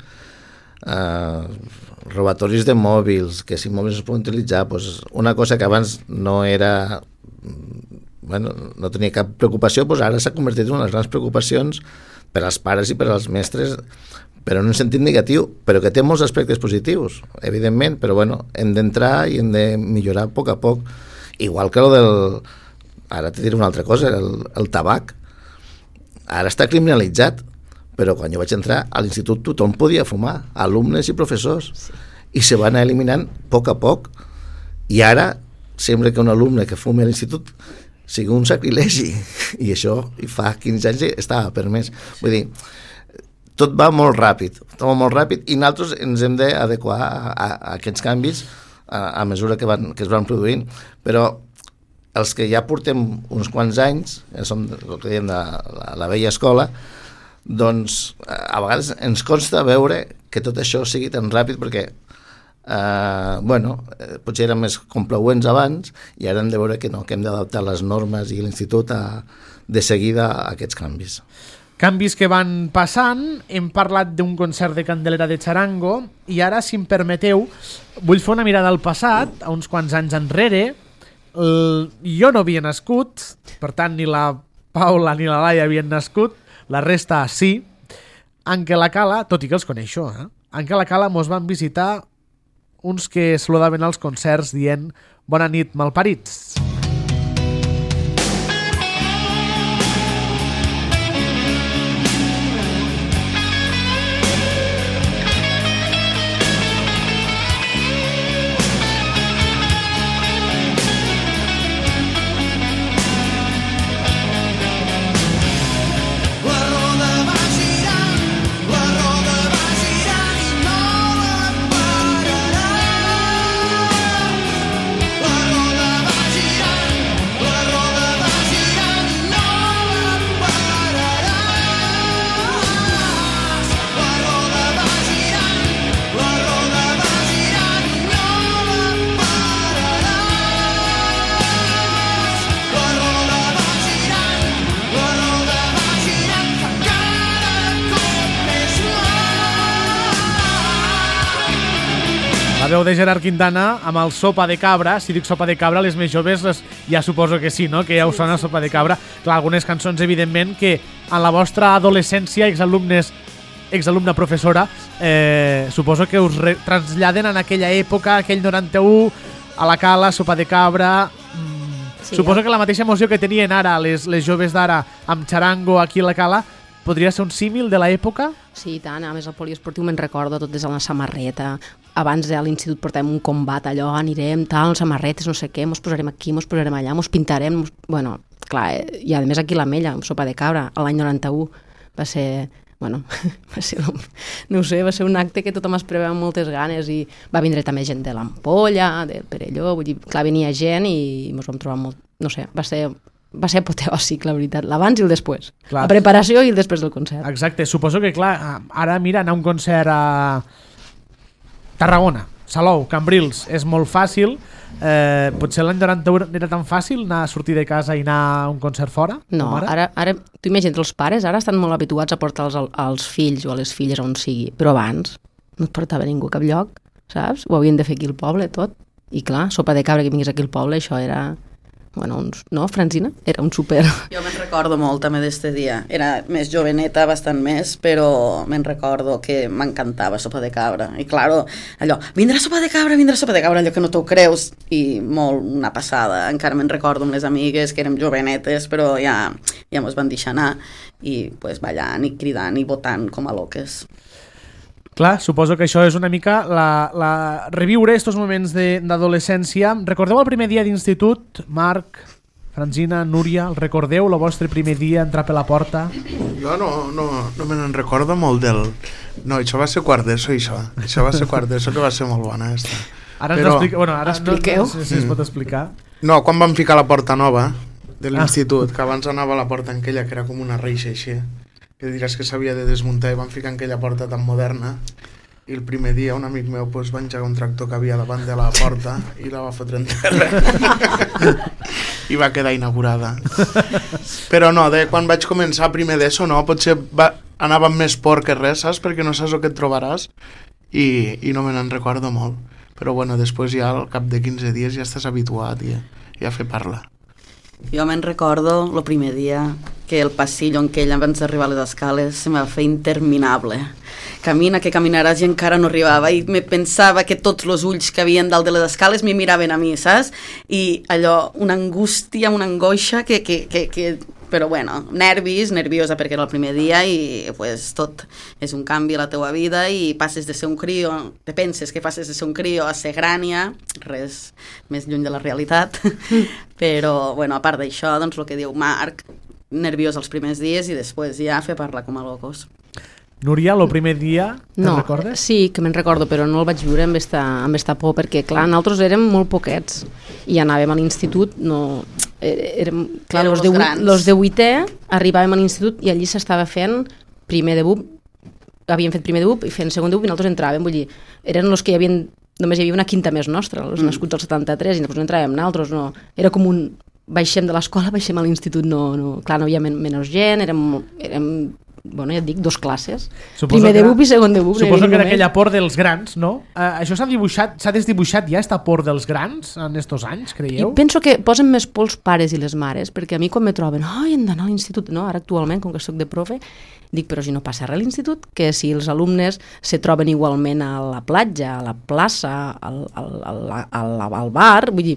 Robatoris de mòbils, que si mòbils es poden utilitzar, doncs una cosa que abans no era... Bueno, no tenia cap preocupació, doncs ara s'ha convertit en una de les grans preocupacions per als pares i per als mestres, però en un sentit negatiu, però que té molts aspectes positius, evidentment, però bueno, hem d'entrar i hem de millorar a poc. Igual que ara te diré una altra cosa, el tabac. Ara està criminalitzat, però quan jo vaig entrar a l'institut tothom podia fumar, alumnes i professors, i se van anar eliminant a poc. I ara sembla que un alumne que fumi a l'institut sigui un sacrilegi, i això fa 15 anys estava permès. Vull dir, tot va molt ràpid, i nosaltres ens hem d'adequar a aquests canvis a mesura que es van produint. Però els que ja portem uns quants anys, som el que diem de la vella escola, doncs a vegades ens costa veure que tot això sigui tan ràpid, perquè potser eren més complaents abans i ara hem de veure que no, que hem d'adaptar les normes i l'institut de seguida a aquests canvis. Canvis que van passant, hem parlat d'un concert de Candelera de Charango i ara, si em permeteu, vull fer una mirada al passat, a uns quants anys enrere. Jo no havia nascut, per tant ni la Paula ni la Laia havien nascut, la resta sí. Anque la Cala, tot i que els coneixo, Anque la Cala mos van visitar uns que saludaven als concerts dient «Bona nit, malparits». La veu de Gerard Quintana amb el Sopa de Cabra. Si dic Sopa de Cabra, les més joves ja suposo que sí, no? Que ja us sona Sopa de Cabra. Clar, algunes cançons, evidentment, que en la vostra adolescència, exalumna professora, suposo que us traslladen en aquella època, aquell 91, a la Cala, Sopa de Cabra... Sí, suposo que la mateixa emoció que tenien ara les joves d'ara amb Charango aquí a la Cala podria ser un símil de l'època? Sí, i tant. A més, al poliesportiu me'n recordo tot des de la samarreta. Abans a l'institut portàvem un combat, allò, anirem, tal, samarretes, no sé què, mos posarem aquí, mos posarem allà, mos pintarem... Bueno, clar, i a més aquí a l'Ametlla, amb Sopa de Cabra, l'any 91, va ser... Bueno, va ser, no ho sé, va ser un acte que tothom esperava amb moltes ganes i va vindre també gent de l'Ampolla, del Perelló, vull dir, clar, venia gent i ens vam trobar molt... No sé, va ser apoteòsic, la veritat, l'abans i el després. Clar. La preparació i el després del concert. Exacte, suposo que, clar, ara, mira, anar a un concert a Tarragona, Salou, Cambrils, és molt fàcil. Potser l'any 91 era tan fàcil anar a sortir de casa i anar a un concert fora? No, ara tu imagina't, els pares ara estan molt habituats a portar als fills o a les filles on sigui, però abans no et portava ningú a cap lloc, saps? Ho havien de fer aquí al poble, tot. I clar, Sopa de Cabra que vingués aquí al poble, això era... Bueno, no, Francina? Era un super... Jo me'n recordo molt també d'este dia. Era més joveneta, bastant més, però me'n recordo que m'encantava Sopa de Cabra. I claro, allò, vindrà Sopa de Cabra, allò que no t'ho creus. I molt una passada. Encara me'n recordo amb les amigues que érem jovenetes, però ja mos van deixar anar. I pues, ballant i cridant i votant com a loques. Clar, suposo que això és una mica reviure estos moments d'adolescència. Recordeu el primer dia d'institut? Marc, Francina, Núria, el recordeu? El vostre primer dia, entrar per la porta? Jo no me n'en recordo molt del... No, això va ser quart d'ESO, això. Això va ser quart d'ESO, que va ser molt bona, esta. Ara ens expliqueu. Bueno, ara expliqueu. No sé si es pot explicar. No, quan vam ficar la porta nova de l'institut, que abans anava la porta aquella, que era com una reixa així, que diràs que s'havia de desmuntar, i van ficar en aquella porta tan moderna, i el primer dia un amic meu va engegar un tractor que havia davant de la porta i la va fotre en terra i va quedar inaugurada. Però no, quan vaig començar primer d'ESO, no, potser anava amb més por que res, saps? Perquè no saps el que et trobaràs i no me n'en recordo molt. Però bueno, després ja al cap de 15 dies ja estàs habituat i ja fer parla. Jo me'n recordo el primer dia que el passillo en què ell abans d'arribar a les escales se m'ha fet interminable. Camina que caminaràs i encara no arribava i me pensava que tots els ulls que havien dalt de les escales m'hi miraven a mi, saps? I allò, una angústia, una angoixa que però bueno, nerviosa perquè era el primer dia i pues tot és un canvi a la teua vida i passes de ser un crio, te penses que passes de ser un crio a ser grània, res més lluny de la realitat, però bueno, a part d'això, doncs el que diu Marc, nerviós els primers dies i després ja fer parlar com a locos. Núria, el primer dia, te'n recordes? Sí, que me'n recordo, però no el vaig viure amb esta por, perquè clar, nosaltres érem molt poquets i anàvem a l'institut, no... Érem, clar, los de 8è arribàvem a l'institut i allí s'estava fent primer de BUP, havien fet primer de BUP i fent segon de BUP i nosaltres entràvem, vull dir, eren els que hi havien només hi havia una quinta més nostra, els nascuts al 73, i després no entràvem nosaltres, no. Era com un... Baixem de l'escola, baixem a l'institut, no. Clar, no hi havia menys gent, érem bueno, ja et dic, 2 classes. Primer de BUP i segon de BUP. Suposo que era aquella por dels grans, no? Això s'ha desdibuixat ja, esta por dels grans, en estos anys, creieu? I penso que posen més por els pares i les mares, perquè a mi quan me troben, hem d'anar a l'institut, no? Ara actualment, com que soc de profe, dic, però si no passa res a l'institut, que si els alumnes se troben igualment a la platja, a la plaça, al bar, vull dir,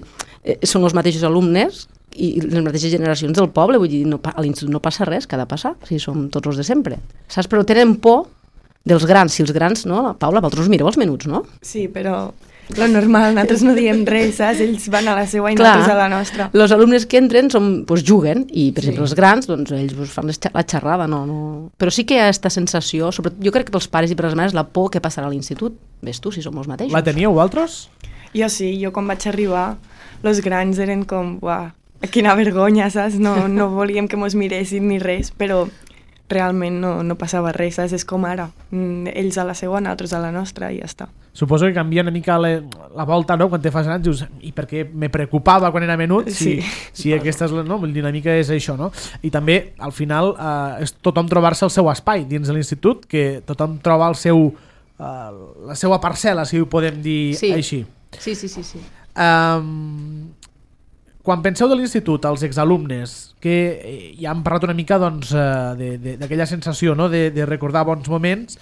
són els mateixos alumnes i les mateixes generacions del poble, vull dir, a l'institut no passa res, que ha de passar, si som tots els de sempre. Saps? Però tenen por dels grans, si els grans, no? Paula, vosaltres mireu els menuts, no? Sí, però lo normal, nosaltres no diem res, saps? Ells van a la seva i nosaltres a la nostra. Els alumnes que entren juguen, i per exemple els grans, doncs ells fan la xerrada, no. Però sí que hi ha aquesta sensació, sobretot jo crec que pels pares i per les mares, la por que passarà a l'institut. Ves tu, si som els mateixos. La teníeu vosaltres? Jo sí, jo quan vaig arribar, els grans eren com, uah, quina vergonya, saps? No volíem que mos miressin ni res, però realment no passava res, saps? És com ara. Ells a la seva, nosaltres a la nostra i ja està. Suposo que canvia una mica la volta, no? Quan te fas grans, dius, i perquè me preocupava quan era menut, si aquesta és la dinàmica és això, no? I també, al final, és tothom trobar-se el seu espai dins de l'institut, que tothom troba la seva parcel·la, si ho podem dir així. Sí. Quan penseu de l'institut, els exalumnes, que ja hem parlat una mica d'aquella sensació, no? de recordar bons moments,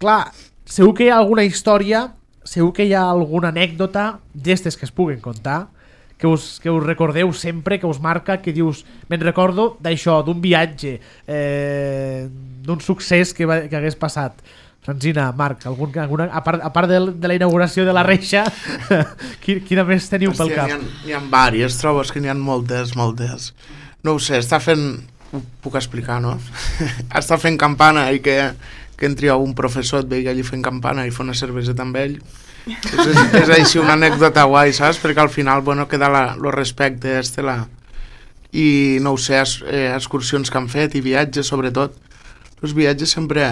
clar, segur que hi ha alguna història, segur que hi ha alguna anècdota d'estes que es puguen contar, que us recordeu sempre, que us marca, que dius, me'n recordo d'això, d'un viatge, d'un succés que hagués passat. Francina, Marc, alguna, a part de la inauguració de la reixa, quina més teniu pel cap? N'hi ha diverses, trobes que n'hi ha moltes. No ho sé, està fent... Ho puc explicar, no? Està fent campana i que entri un professor et vegi allí fent campana i fa una cerveseta amb ell. És així una anècdota guai, saps? Perquè al final, bueno, queda el respecte, i no ho sé, excursions que han fet i viatges, sobretot. Els viatges sempre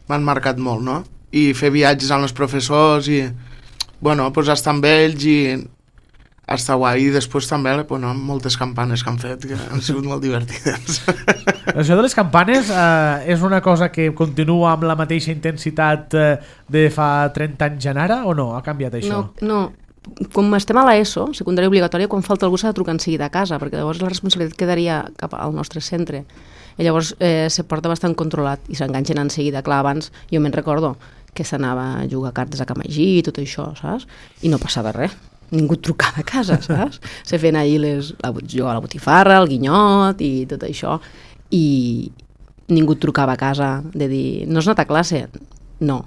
m'han marcat molt, no? I fer viatges amb els professors i, bueno, pues estar amb ells i estar guai. I després també, bueno, moltes campanes que han fet, que han sigut molt divertides. Això de les campanes és una cosa que continua amb la mateixa intensitat de fa 30 anys en ara, o no? Ha canviat això? No. Com estem a l'ESO, secundària obligatòria, quan falta algú s'ha de trucar en seguida a casa, perquè llavors la responsabilitat quedaria cap al nostre centre. I llavors se porta bastant controlat i s'enganxen en seguida. Clar, abans jo me'n recordo que s'anava a jugar cartes a Camagí i tot això, saps? I no passava res. Ningú trucava a casa, saps? Se feien allí jugar a la botifarra, el guinyot i tot això. I ningú trucava a casa de dir, no has anat a classe? No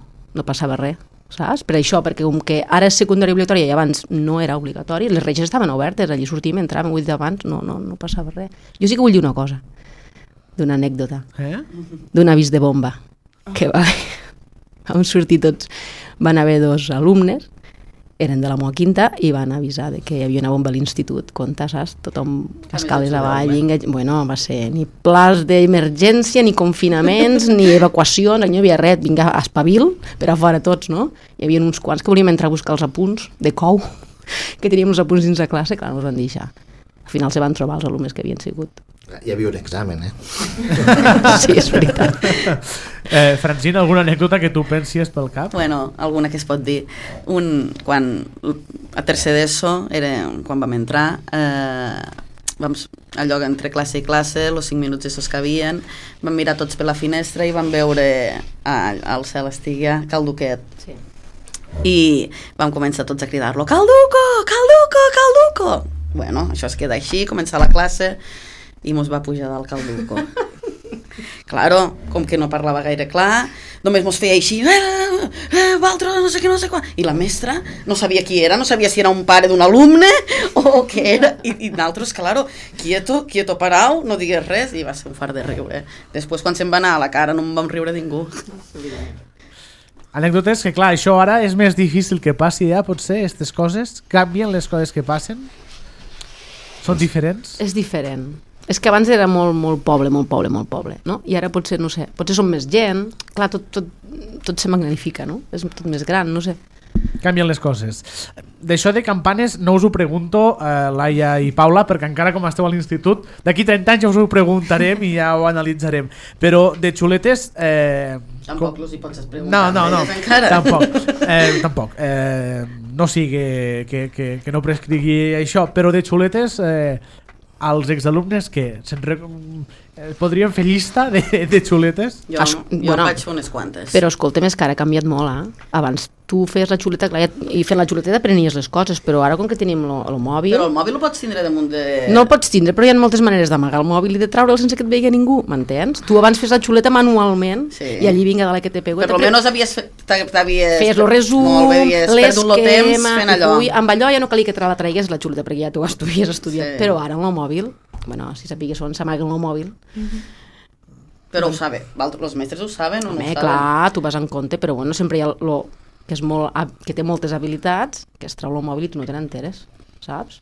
passava res, saps? Per això, perquè com que ara és secundària obligatòria i abans no era obligatori, les reixes estaven obertes, allí sortíem, entràvem, ho he dit abans, no passava res. Jo sí que vull dir una cosa, d'una anècdota, d'un avís de bomba, que vam sortir tots, van haver 2 alumnes, eren de la Moa Quinta i van avisar de que hi havia una bomba a l'institut, compte, saps? Tothom escales avall, bueno, va ser ni plans d'emergència, ni confinaments, ni evacuacions, no hi havia res, vinga, espavil, per a fora tots, no? Hi havia uns quants que volíem entrar a buscar els apunts de cou, que teníem els apunts dins la classe, clar, no els van deixar. Al final se van trobar els alumnes que havien sigut. Hi havia un examen, Sí, és veritat. Francina, alguna anècdota que tu pensis pel cap? Bueno, alguna que es pot dir. Quan a tercer d'ESO, quan vam entrar, allò entre classe i classe, els 5 minuts d'ESO que havien, vam mirar tots per la finestra i vam veure al cel estigui Calduquet. Sí. I vam començar tots a cridar-lo, Calduco, Calduco, Calduco! Bueno, això es queda així, comença la classe i mos va pujar del Calduco. Claro, com que no parlava gaire clar, només mos feia així, Valtro, no sé què, no sé quan. I la mestra no sabia qui era, no sabia si era un pare d'un alumne o què era. I nosaltres, claro, quieto parau, no digués res, i va ser un fart de riure. Després, quan se'n va anar a la cara, no em vam riure ningú. Anècdotes que, clar, això ara és més difícil que passi ja, potser, aquestes coses. Canvien les coses que passen? Són diferents? És diferent. És que abans era molt poble, no? I ara potser, no sé, potser som més gent, clar, tot se magnifica, no? És tot més gran, no sé. Canvien les coses. D'això de campanes no us ho pregunto, Laia i Paula, perquè encara com esteu a l'institut, d'aquí 30 anys ja us ho preguntarem i ja ho analitzarem. Però de xuletes... Tampoc els hi pots preguntar. No, tampoc. No sigui que no prescrigui això, però de xuletes... als exalumnes que podríem fer llista de xuletes? Jo vaig fer unes quantes. Però escolta, més que ara ha canviat molt, Abans tu feies la xuleta, clar, i fent la xuleta aprenies les coses, però ara com que tenim el mòbil... Però el mòbil ho pots tindre damunt de... No el pots tindre, però hi ha moltes maneres d'amagar el mòbil i de treure'l sense que et vegi ningú, m'entens? Tu abans fes la xuleta manualment i allí vinga dalt que te pego. Però almenys feies el resum, l'esquema, amb allò ja no calia que te la traigués la xuleta perquè ja tu havies estudiat, però ara amb el mòbil, bueno, si sapigues on s'amaguen el mòbil... Però ho saben, els mestres ho saben o no ho saben? Clar, tu vas en compte, però bueno, sempre hi ha que té moltes habilitats, que es treu el mòbil i tu no te n'enteres, saps?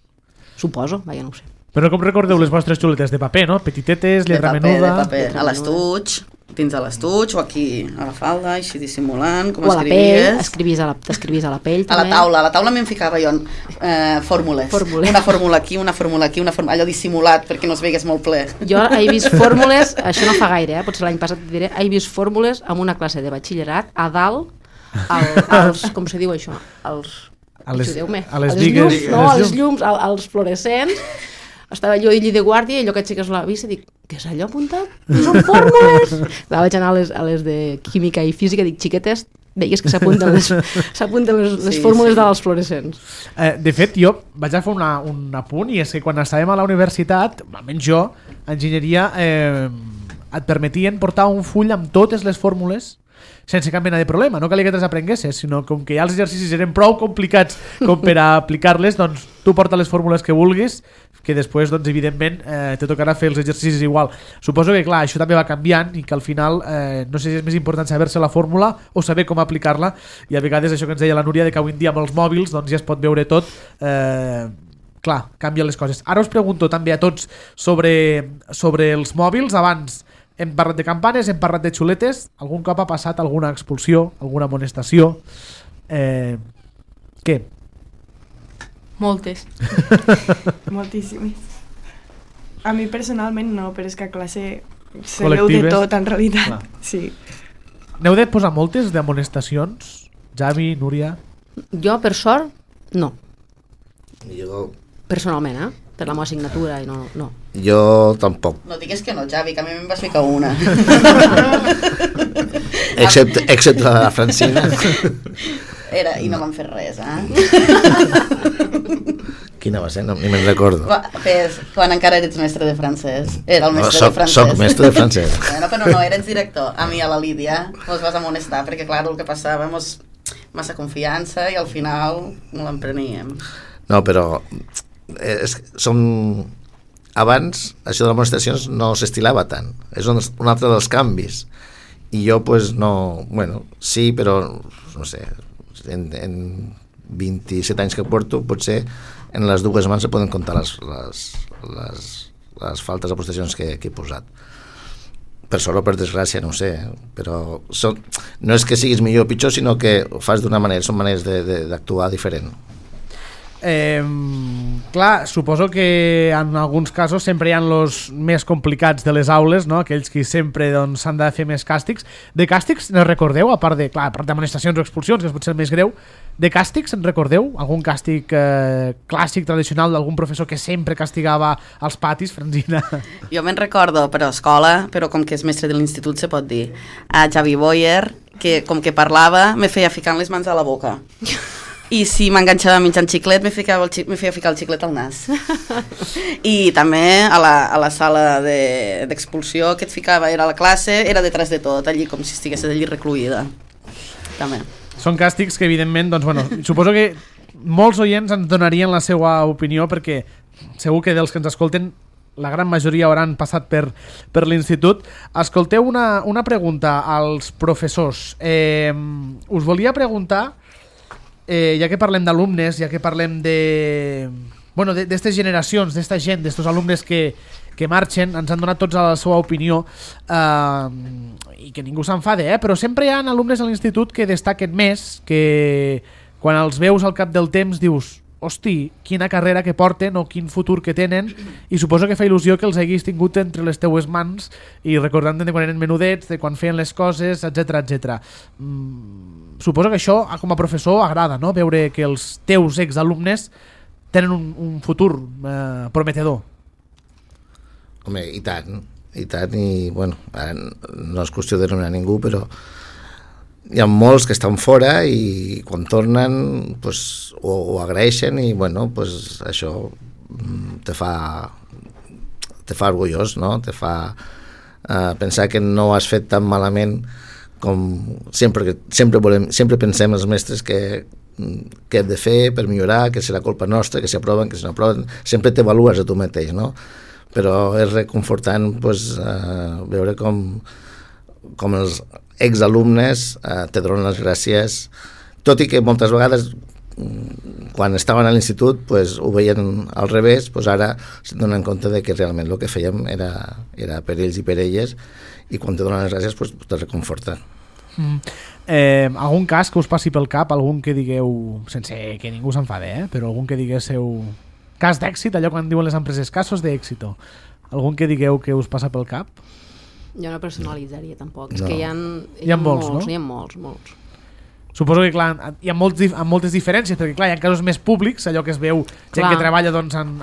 Suposo, vaja, no ho sé. Però com recordeu les vostres xuletes? De paper, no? Petitetes, lletra menuda... De paper, a l'estuig, dins de l'estuig, o aquí a la falda, així dissimulant, com o a la pell, t'escrivies a la pell també. A la taula me'n ficava jo fórmules. Una fórmula aquí, una fórmula aquí, allò dissimulat perquè no es veigués molt ple. Jo he vist fórmules, això no fa gaire, potser l'any passat et diré, he vist fórmules amb una classe de batxillerat a dalt, als, com se diu això, als llums, als fluorescents. Estava jo allí de guàrdia i allò que aixeques la vista dic, què és allò apuntat? Són fórmules! Vaig anar a les de química i física i dic, xiquetes, veies que s'apunten les fórmules dels fluorescents. De fet, jo vaig a fer un apunt, i és que quan estàvem a la universitat, almenys jo, enginyeria, et permetien portar un full amb totes les fórmules sense cap mena de problema, no calia que te les aprenguessis, sinó com que ja els exercicis eren prou complicats com per a aplicar-les, doncs tu porta les fórmules que vulguis, que després, doncs, evidentment, te tocarà fer els exercicis igual. Suposo que, clar, això també va canviant i que al final, no sé si és més important saber-se la fórmula o saber com aplicar-la, i a vegades això que ens deia la Núria, de que avui en dia amb els mòbils doncs ja es pot veure tot, clar, canvien les coses. Ara us pregunto també a tots sobre els mòbils. Abans hem parlat de campanes, hem parlat de xuletes. Algun cop ha passat alguna expulsió, alguna amonestació? Què? Moltes. Moltíssimes. A mi personalment no, però és que a classe sabeu de tot en realitat. Clar. Sí. N'heu de posar moltes d'amonestacions? Javi, Núria? Jo, per sort, no. Jo... Personalment, per la meva assignatura i no. Jo tampoc. No digues que no, Javi, que a mi me'n vas ficar una. Excepte la Francina. I no van fer res, Quina va ser? No, ni me'n recordo. Quan encara eres mestre de francès. Era el mestre de francès. Soc mestre de francès. Però no, eres director. A mi, a la Lídia, mos vas amonestar, perquè clar, el que passava, massa confiança i al final no l'empreníem. No, però abans això de les amonestacions no s'estilava tant, és un altre dels canvis, i jo pues no, bueno, sí, però no sé, en 27 anys que porto, potser en les dues mans se poden comptar les faltes d'amonestacions que he posat. Per sort o per desgràcia, no ho sé, però no és que siguis millor o pitjor, sinó que ho fas d'una manera, són maneres d'actuar diferent. Clar, suposo que en alguns casos sempre hi ha els més complicats de les aules, no? Aquells que sempre s'han de fer més càstigs. De càstigs ne recordeu, a part d'amonestacions o expulsions, que és potser el més greu, de càstigs en recordeu? Algun càstig clàssic, tradicional, d'algun professor que sempre castigava als patis, Franzina? Jo me'n recordo per a escola, però com que és mestre de l'institut se pot dir, a Javi Boyer, que com que parlava me feia ficant les mans a la boca. I si m'enganxava menjant xiclet, me feia ficar el xiclet al nas. I també a la sala d'expulsió que et ficava, era a la classe, era detrás de tot, allí com si estiguessis allí recluïda. També. Són càstigs que, evidentment, doncs, bueno, suposo que molts oients ens donarien la seva opinió, perquè segur que dels que ens escolten la gran majoria hauran passat per l'institut. Escolteu una pregunta als professors. Us volia preguntar, ja que parlem d'alumnes, ja que parlem d'estes generacions, d'esta gent, d'estos alumnes que marxen, ens han donat tots la seva opinió, i que ningú s'enfade, però sempre hi ha alumnes a l'institut que destaquen més, que quan els veus al cap del temps dius hosti, quina carrera que porten o quin futur que tenen, i suposo que fa il·lusió que els haguis tingut entre les teues mans i recordant de quan eren menudets, de quan feien les coses, etc. Suposo que això com a professor agrada, no? Veure que els teus exalumnes tenen un futur prometedor. Home, i tant, i bueno, no és qüestió de nomenar ningú, però hi ha molts que estan fora i quan tornen pues, ho agraeixen i bueno, pues, això te fa orgullós, no? Te fa pensar que no ho has fet tan malament com sempre pensem els mestres que hem de fer per millorar, que serà culpa nostra, que s'aproven, que si no aproven, sempre t'avalues a tu mateix, no? Però és reconfortant pues, veure com els exalumnes te donen les gràcies, tot i que moltes vegades quan estaven a l'institut pues, ho veien al revés, pues ara se'n donen compte de que realment el que fèiem era per ells i per elles, i quan te donen les gràcies pues, te reconforta. Algun cas que us passi pel cap, algun que digueu, sense que ningú s'enfade, però algun que diguéssiu cas d'èxit, allò quan diuen les empreses casos d'èxito, algun que digueu que us passa pel cap? Jo no personalitzaria tampoc, no. És que hi ha molts, no? Hi ha molts. Suposo que clar, hi ha moltes diferències, perquè clar, hi ha casos més públics, allò que es veu gent que treballa doncs, en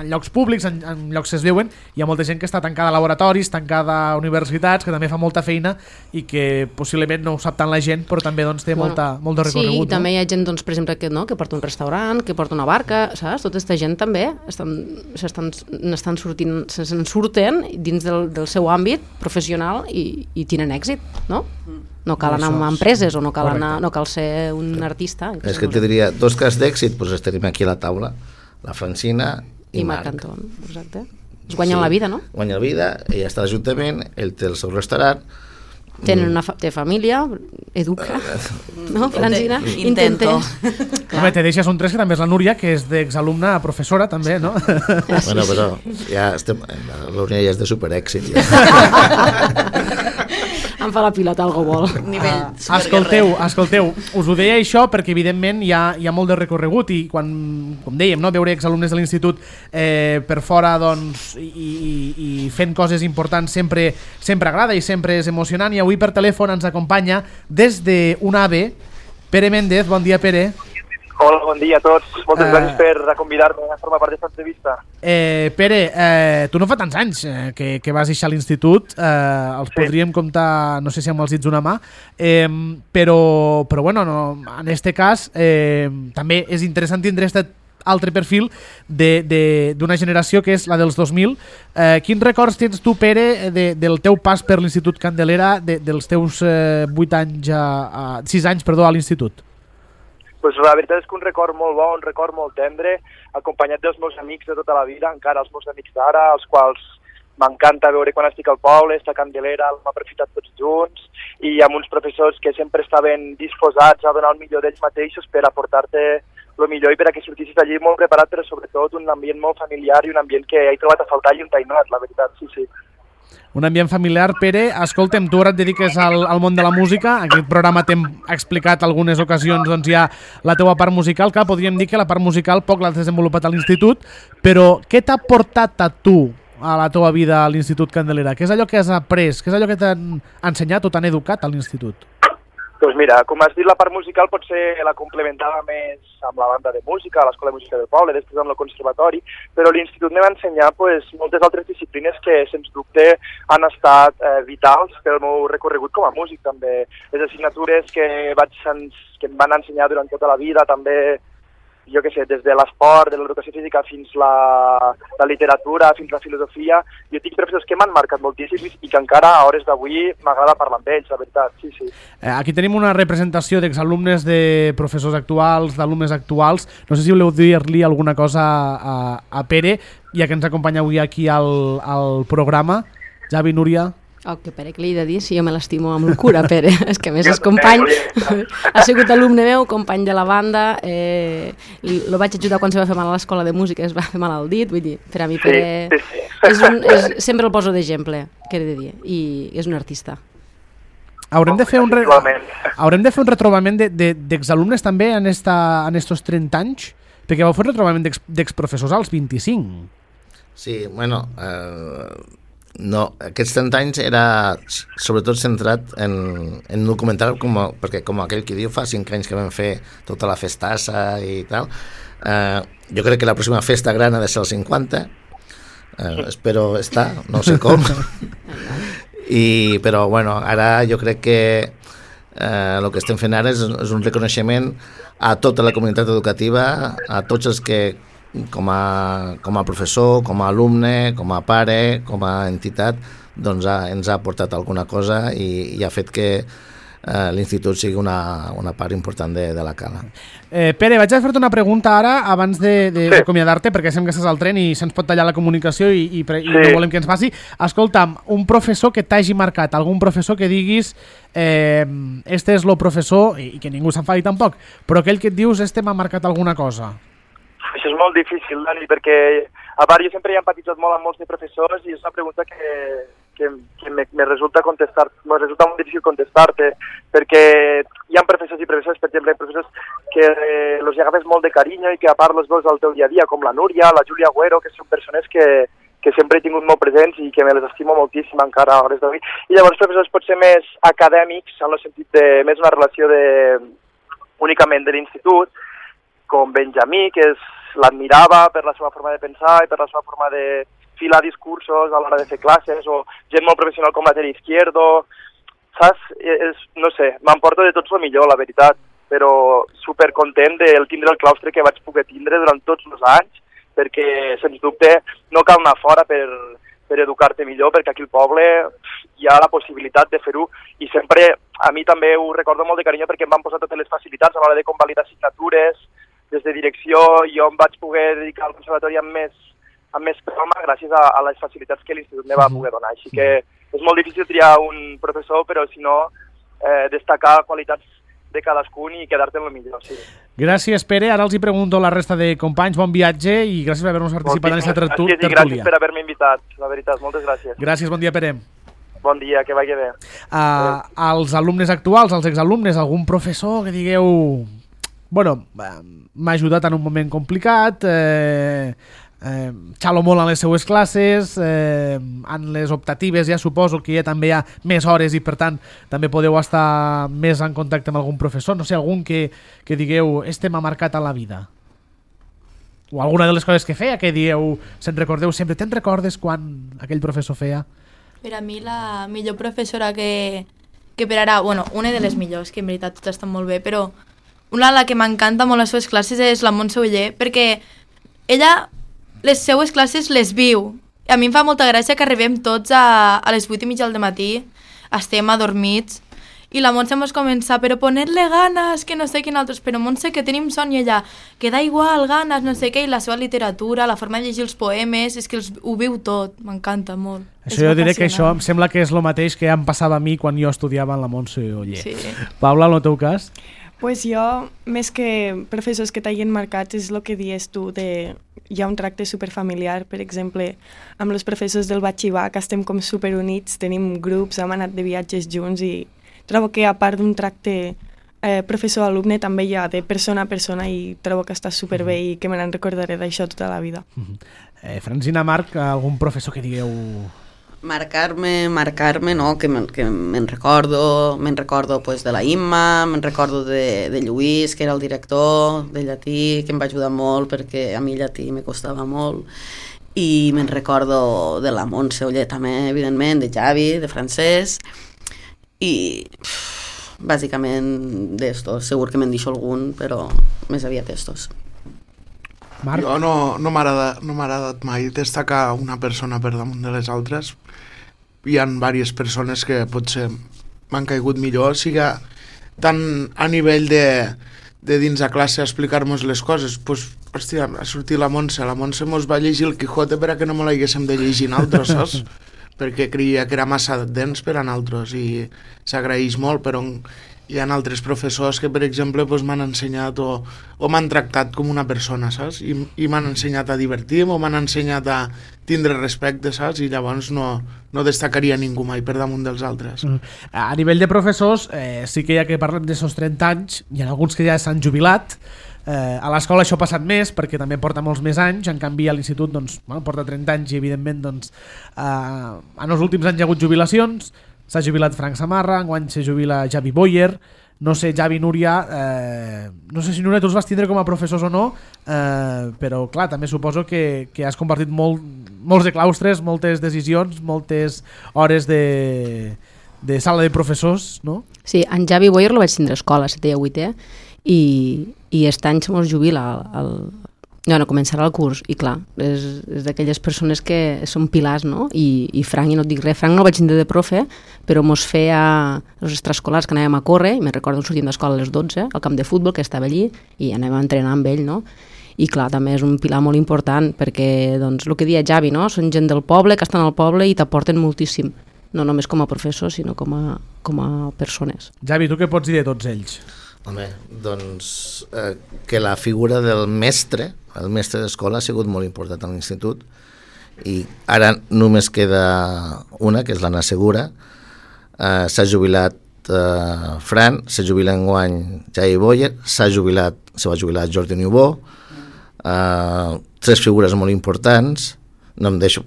llocs públics, en llocs que es veuen, hi ha molta gent que està tancada a laboratoris, tancada a universitats, que també fa molta feina i que possiblement no ho sap tant la gent, però també doncs, té molt de recorregut. Sí, i també hi ha gent, doncs, per exemple, que porta un restaurant, que porta una barca, saps? Tota aquesta gent també se'n surten dins del seu àmbit professional i tenen èxit, no? No cal anar a empreses o no cal ser un artista. És que te diria, dos casos d'èxit, doncs tenim aquí a la taula, la Francina i Marc Anton, exacte. Es guanyen la vida, no? Guanyen la vida, ella està a l'Ajuntament, ell té el seu restaurant. Té família, educa, no, Francina? Intento. Home, te deixes un 3 que també és la Núria, que és d'exalumna a professora, també, no? Bueno, però ja estem... La Núria ja és de superèxit, ja. Em fa la pilota algo vol. Escolteu, us ho deia això perquè evidentment hi ha molt de recorregut i quan, com dèiem, no, veure exalumnes de l'institut per fora doncs, i fent coses importants sempre agrada i sempre és emocionant, i avui per telèfon ens acompanya des d'un AVE Pere Méndez. Bon dia, Pere. Hola, bon dia a tots. Moltes gràcies per convidar-me a formar part d'aquesta entrevista. Pere, tu no fa tants anys que vas deixar l'institut, els podríem comptar, no sé si amb els dits d'una mà, però bueno, no, en este cas també és interessant tindre aquest altre perfil d'una generació que és la dels 2000. Quins records tens tu, Pere, del teu pas per l'Institut Candelera, dels teus 6 anys a l'institut? Pues la veritat és que un record molt bo, un record molt tendre, acompanyat dels meus amics de tota la vida, encara els meus amics d'ara, els quals m'encanta veure quan estic al poble, estar a Candelera, l'hem aprofitat tots junts, i amb uns professors que sempre estaven disposats a donar el millor d'ells mateixos per aportar-te el millor i per a que sortissis d'allí molt preparat, però sobretot un ambient molt familiar i un ambient que he trobat a faltar i un tainat, la veritat, sí. Un ambient familiar. Pere, escolta'm, tu ara et dediques al món de la música, en aquest programa t'hem explicat algunes ocasions doncs, ja la teua part musical, clar, podríem dir que la part musical poc l'has desenvolupat a l'institut, però què t'ha portat a tu a la teua vida a l'Institut Candelera? Què és allò que has après? Què és allò que t'han ensenyat o t'han educat a l'institut? Doncs mira, com has dit, la part musical potser la complementava més amb la banda de música, a l'Escola de Música del Poble, després amb el conservatori, però l'institut me va ensenyar moltes altres disciplines que, sens dubte, han estat vitals pel meu recorregut com a músic, també. Les assignatures que em van ensenyar durant tota la vida, també, jo què sé, des de l'esport, de l'educació física fins la literatura, fins la filosofia. Jo tinc professors que m'han marcat moltíssim i que encara a hores d'avui m'agrada parlar amb ells, la veritat, sí. Aquí tenim una representació d'exalumnes de professors actuals, d'alumnes actuals. No sé si voleu dir-li alguna cosa a Pere, ja que ens acompanya avui aquí al programa. Javi, Núria... Que Pere, que li he de dir si jo me l'estimo amb locura, Pere. És que a més és company, ha sigut alumne meu, company de la banda, lo vaig ajudar quan se va fer mal a l'escola de música, es va fer mal al dit, vull dir, per a mi Pere sempre el poso d'exemple, què he de dir, i és un artista. Haurem de fer un retrobament d'exalumnes també en estos 30 anys, perquè vau fer un retrobament d'exprofessors als 25. Sí, bueno, no, aquests 30 anys era sobretot centrat en documentar, perquè com aquell que diu, fa 5 anys que vam fer tota la festassa i tal. Jo crec que la pròxima festa gran ha de ser el 50, espero estar, no sé com. Però bueno, ara jo crec que el que estem fent ara és un reconeixement a tota la comunitat educativa, a tots els que com a professor, com a alumne, com a pare, com a entitat, doncs ens ha aportat alguna cosa i ha fet que l'institut sigui una part important de la Cala. Pere, vaig a fer-te una pregunta ara abans d'acomiadar-te, perquè sembla que estàs al tren i se'ns pot tallar la comunicació i no volem que ens passi. Escolta'm, un professor que t'hagi marcat, algun professor que diguis este és el professor, i que ningú s'enfadi tampoc, però aquell que et dius este m'ha marcat alguna cosa. Això és molt difícil, Dani, perquè a part jo sempre he empatitzat molt amb molts de professors i és una pregunta que me resulta molt difícil contestar-te, perquè hi ha professors i professors, per exemple, professors que els agafes molt de carinyo i que a part els veus al teu dia a dia, com la Núria, la Júlia Agüero, que són persones que sempre he tingut molt presents i que me les estimo moltíssim encara a hores d'avui. I llavors professors potser més acadèmics, en el sentit de més una relació únicament de l'institut, com Benjamí, que l'admirava per la seva forma de pensar i per la seva forma de filar discursos a l'hora de fer classes, o gent molt professional com la Tere Izquierdo, saps? No sé, m'emporto de tots el millor, la veritat, però supercontent de tindre el claustre que vaig poder tindre durant tots els anys, perquè, sens dubte, no cal anar fora per educar-te millor, perquè aquí al poble hi ha la possibilitat de fer-ho, i sempre, a mi també ho recordo molt de carinyo, perquè em van posar totes les facilitats a l'hora de convalidar assignatures, des de direcció, jo em vaig poder dedicar al conservatori amb més calma gràcies a les facilitats que l'institut me va poder donar. Així que és molt difícil triar un professor, però si no, destacar qualitats de cadascun i quedar-te en el millor. Sí. Gràcies, Pere. Ara els hi pregunto a la resta de companys. Bon viatge i gràcies per haver-nos participat en aquesta tertúlia. Gràcies per haver-me invitat, la veritat. Moltes gràcies. Gràcies, bon dia, Pere. Bon dia, que vagi bé. Als alumnes actuals, als exalumnes, algun professor que digueu... Bueno, m'ha ajudat en un moment complicat, xalo molt en les seues classes, en les optatives ja suposo que ja també hi ha més hores i per tant també podeu estar més en contacte amb algun professor, no sé, algun que digueu, este m'ha marcat a la vida. O alguna de les coses que feia que dieu, se'n recordeu sempre, te'n recordes quan aquell professor feia? Per a mi la millor professora que per ara, bueno, una de les millors, que en veritat totes estan molt bé, però una de la que m'encanta molt les seves classes és la Montse Oller, perquè ella les seues classes les viu. A mi em fa molta gràcia que arribem tots a les 8:30 del matí, estem adormits, i la Montse mos comença, però poner-le ganes, que no sé quin altres, però Montse, que tenim son, i ella, que da igual, ganes, no sé què, i la seva literatura, la forma de llegir els poemes, és que ho viu tot, m'encanta molt. Això jo diré que això em sembla que és el mateix que em passava a mi quan jo estudiava en la Montse Oller. Sí. Paula, en el teu cas? Pues jo, més que professors que t'hagin marcat, és el que dius tu, hi ha un tracte superfamiliar, per exemple, amb els professors del batxivar, que estem com superunits, tenim grups, hem anat de viatges junts i trobo que a part d'un tracte professor-alumne també hi ha de persona a persona i trobo que està superbé i que me n'en recordaré d'això tota la vida. Francina, Marc, algun professor que digueu... Marcar-me, no, que me'n recordo pues, de la Imma, me'n recordo de Lluís, que era el director de llatí, que em va ajudar molt perquè a mi llatí me costava molt, i me'n recordo de la Montse Oller també, evidentment, de Javi, de francès, i bàsicament d'estos, segur que me'n deixo algun, però més aviat estos. Marc? Jo no m'ha agradat mai destacar una persona per damunt de les altres. Hi ha diverses persones que potser m'han caigut millor, sigui tant a nivell de dins a classe explicar-nos les coses, doncs, hòstia, ha sortit la Montse mos va llegir el Quijote per a que no me l'haguéssim de llegir nosaltres, saps? Perquè creia que era massa dens per a nosaltres i s'agraeix molt, però hi ha altres professors que, per exemple, doncs, m'han ensenyat o m'han tractat com una persona, saps? I m'han ensenyat a divertir-me o m'han ensenyat a tindre respecte, saps? I llavors no destacaria ningú mai per damunt dels altres. A nivell de professors, sí que ja que parlem d'esos 30 anys, hi ha alguns que ja s'han jubilat. A l'escola això ha passat més perquè també porta molts més anys, en canvi a l'institut doncs, porta 30 anys i evidentment doncs, en els últims anys hi ha hagut jubilacions. S'ha jubilat Frank Samarra, enguany se jubila Javi Boyer. No sé, Javi, Núria, no sé si Núria tu els vas tindre com a professors o no, però clar, també suposo que has compartit molts de claustres, moltes decisions, moltes hores de sala de professors, no? Sí, en Javi Boyer lo vaig tindre a escola, 7è i 8è, i aquest any se mos jubila començarà el curs, i clar, és d'aquelles persones que són pilars, no? I Frank, i no et dic res, Frank no el vaig tindre de profe, però mos feia els extraescolars que anàvem a córrer, i me'n recordo sortint d'escola a les 12, al camp de futbol, que estava allí, i anàvem a entrenar amb ell, no? I clar, també és un pilar molt important, perquè, doncs, el que deia Javi, no? Són gent del poble, que estan al poble i t'aporten moltíssim, no només com a professors, sinó com a persones. Javi, tu què pots dir de tots ells? Home, doncs que la figura del mestre, el mestre d'escola, ha sigut molt important a l'institut, i ara només queda una, que és l'Anna Segura. S'ha jubilat Fran, se jubila enguany Javi Boyer, se va jubilar Jordi Niubó. 3 figures molt importants. No em deixo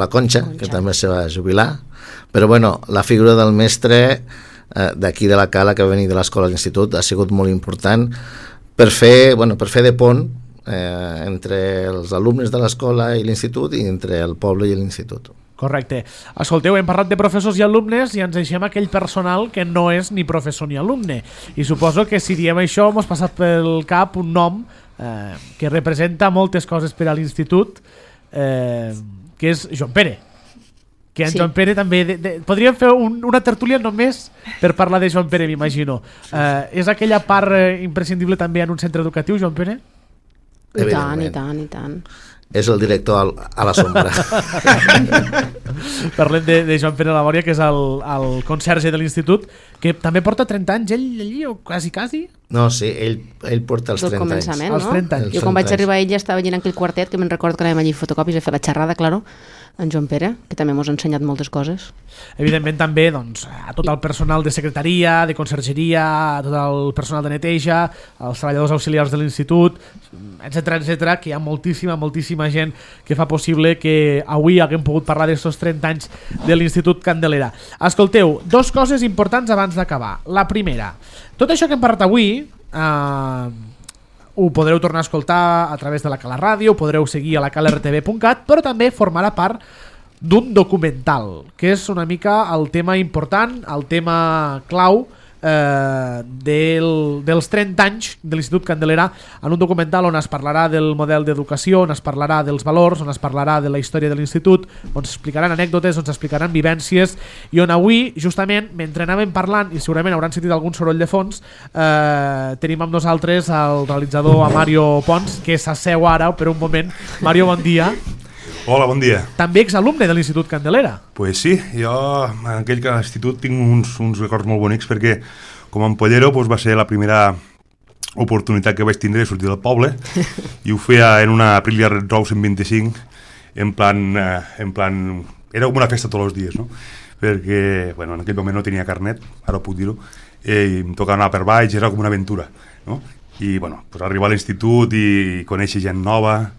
la Conxa, que també se va jubilar, però bueno, la figura del mestre d'aquí de la Cala, que va venir de l'escola a l'institut, ha sigut molt important per fer de pont entre els alumnes de l'escola i l'institut, i entre el poble i l'institut. Correcte. Escolteu, hem parlat de professors i alumnes i ens deixem aquell personal que no és ni professor ni alumne, i suposo que si diem això mos passa pel cap un nom que representa moltes coses per a l'institut, que és Joan Pere. Que en Joan Pere també... podríem fer una tertúlia només per parlar de Joan Pere, m'imagino. És aquella part imprescindible també en un centre educatiu, Joan Pere? I tant. És el director a la sombra. Parlem de Joan Pere Labòria, que és el conserge de l'institut, que també porta 30 anys, ell allí, o quasi? No, sí, ell porta els 30 anys. Els 30 anys. Jo quan vaig arribar ell ja estava allí en aquell quartet, que me'n recordo que anàvem allí fotocopis a fer la xerrada, claro, en Joan Pere, que també m'ha ensenyat moltes coses. Evidentment també doncs, a tot el personal de secretaria, de consergeria, a tot el personal de neteja, als treballadors auxiliars de l'institut, etc, que hi ha moltíssima gent que fa possible que avui haguem pogut parlar d'aquests 30 anys de l'Institut Candelera. Escolteu, 2 coses importants abans d'acabar. La primera, tot això que hem parlat avui ho podreu tornar a escoltar a través de la Cala Ràdio, ho podreu seguir a la calartv.cat, però també formarà part d'un documental, que és una mica el tema important, el tema clau dels 30 anys de l'Institut Candelera, en un documental on es parlarà del model d'educació, on es parlarà dels valors, on es parlarà de la història de l'Institut, on s'explicaran anècdotes, on s'explicaran vivències, i on avui, justament, mentre anàvem parlant, i segurament hauran sentit algun soroll de fons, tenim amb nosaltres el realitzador Mario Pons, que s'asseu ara per un moment. Mario, bon dia. Hola, bon dia. També exalumne de l'Institut Candelera. Pues sí, jo en aquell institut tinc uns records molt bonics, perquè com a ampollero va ser la primera oportunitat que vaig tindre de sortir del poble, i ho feia en una Aprilia Red Rose 125, en plan era com una festa tots els dies, no? Perquè en aquell moment no tenia carnet, ara puc dir-ho, i em tocava anar per baix, era com una aventura, no? I arribar a l'institut i conèixer gent nova,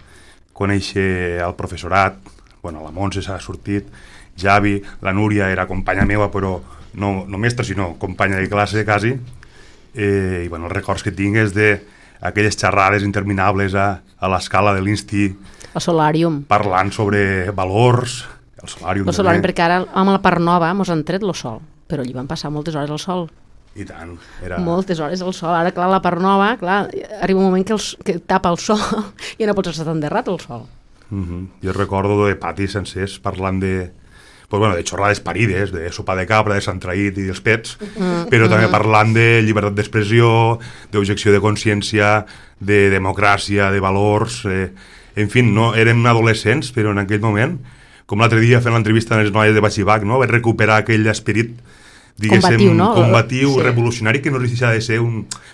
conèixer el professorat, la Montse s'ha sortit, Javi, la Núria era companya meva, però no mestra, sinó companya de classe, quasi, i els records que tinc és d'aquelles xerrades interminables a l'escala de l'Insti, el Solàrium, parlant sobre valors, el Solàrium perquè ara amb la part nova mos han tret el sol, però allí van passar moltes hores al sol. I tant. Moltes hores al sol. Ara, clar, la part nova, arriba un moment que tapa el sol i no pots estar tan de rat al sol. Jo recordo de patis sencers parlant de xorrades parides, de sopa de cabra, de Sant Traït i dels pets, però també parlant de llibertat d'expressió, d'objecció de consciència, de democràcia, de valors, en fi, no érem adolescents, però en aquell moment, com l'altre dia fent l'entrevista a les noies de Batxibac, vaig recuperar aquell esperit combatiu, no? Combatiu, revolucionari, que no deixa de ser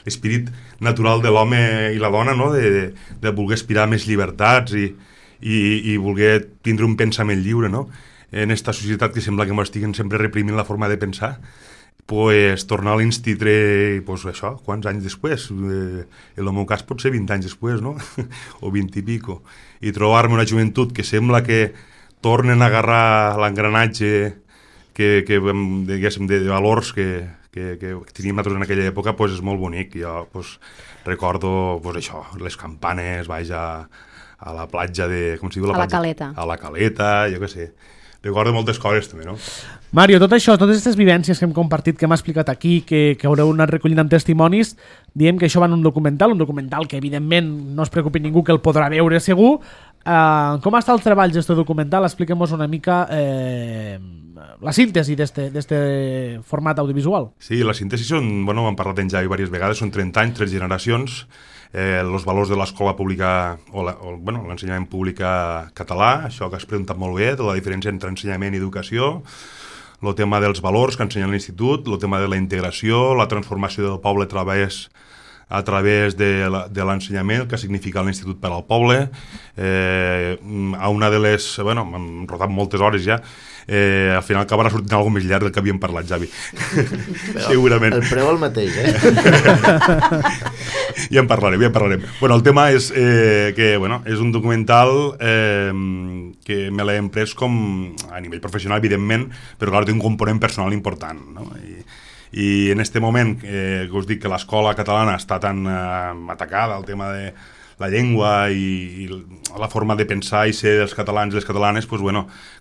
l'esperit natural de l'home i la dona, no? De voler aspirar a més llibertats i voler tindre un pensament lliure, no? En esta societat que sembla que m'estiguen sempre reprimint la forma de pensar, pues, tornar a l'institut, pues, això, quants anys després? En el meu cas pot ser 20 anys després, no? O 20 i pico. I trobar-me una joventut que sembla que tornen a agarrar l'engranatge diguéssim, de valors que teníem nosaltres en aquella època, pues, és molt bonic. Jo pues, recordo pues, això, les campanes, vaig a la platja de... Com s'hi diu? A la Caleta. A la Caleta, jo què sé. Recordo moltes coses també, no? Mario, tot això, totes aquestes vivències que hem compartit, que hem explicat aquí, que haureu anat recollint amb testimonis, diem que això va en un documental que evidentment no es preocupi ningú que el podrà veure segur. Com està el treball d'aquest documental? Expliquem-nos una mica la síntesi d'aquest format audiovisual. Sí, la síntesi són, bueno, hem parlat en Javi diverses vegades, són 30 anys, 3 generacions, els valors de l'escola pública l'ensenyament públic català, això que has preguntat molt bé, de la diferència entre ensenyament i educació, el tema dels valors que ensenya l'institut, el tema de la integració, la transformació del poble a través de l'ensenyament, el que significa l'Institut per al Poble. A una de les... Bueno, hem rodat moltes hores ja. Al final acabarà sortint alguna més llarg del que havíem parlat, Javi. Segurament. El preu el mateix, Ja en parlarem. Bueno, el tema és que és un documental que me l'he emprès com a nivell professional, evidentment, però clar, té un component personal important, no? I en aquest moment que us dic que l'escola catalana està tan atacada, el tema de la llengua i la forma de pensar i ser dels catalans i les catalanes, pues,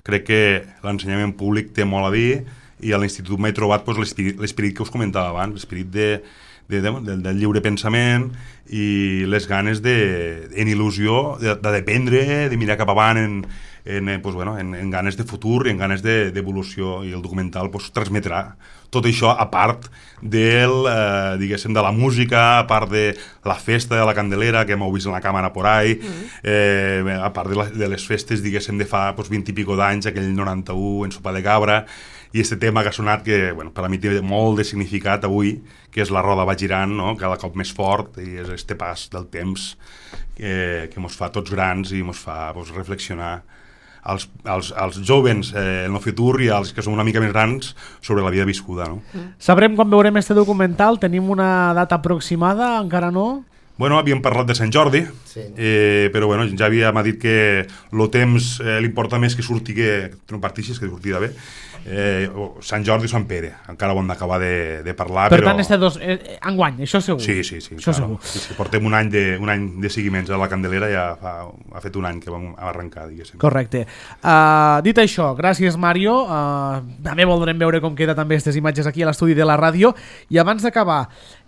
crec que l'ensenyament públic té molt a dir i a l'institut m'he trobat pues, l'esperit que us comentava abans, l'esperit del lliure pensament i les ganes en il·lusió d'aprendre, de mirar cap avant en ganes de futur, en ganes d'evolució, i el documental pues, transmetrà tot això a part de la música, a part de la festa de la Candelera que m'heu vist en la càmera por ahí, a part de les festes diguéssim de fa 20 i pico d'anys, aquell 91 en Sopa de Cabra, i aquest tema que ha sonat que per a mi té molt de significat avui, que és la roda va girant, no? Cada cop més fort, i és aquest pas del temps que ens fa tots grans i ens fa reflexionar als jovens en el futur i als que som una mica més grans sobre la vida viscuda, no? Sabrem quan veurem este documental? Tenim una data aproximada? Encara no? Bueno, havíem parlat de Sant Jordi, sí. Però Javi m'ha dit que el temps li importa més que surti que no partixis, que surti de bé. Sant Jordi o Sant Pere, encara ho hem d'acabar de parlar. Per tant, enguany, això segur. Sí, això claro. Sí, portem un any de seguiments a la Candelera, ja ha fet un any que vam arrencar, diguéssim. Correcte. Dit això, gràcies Mario, també voldrem veure com queda també aquestes imatges aquí a l'estudi de la ràdio, i abans d'acabar,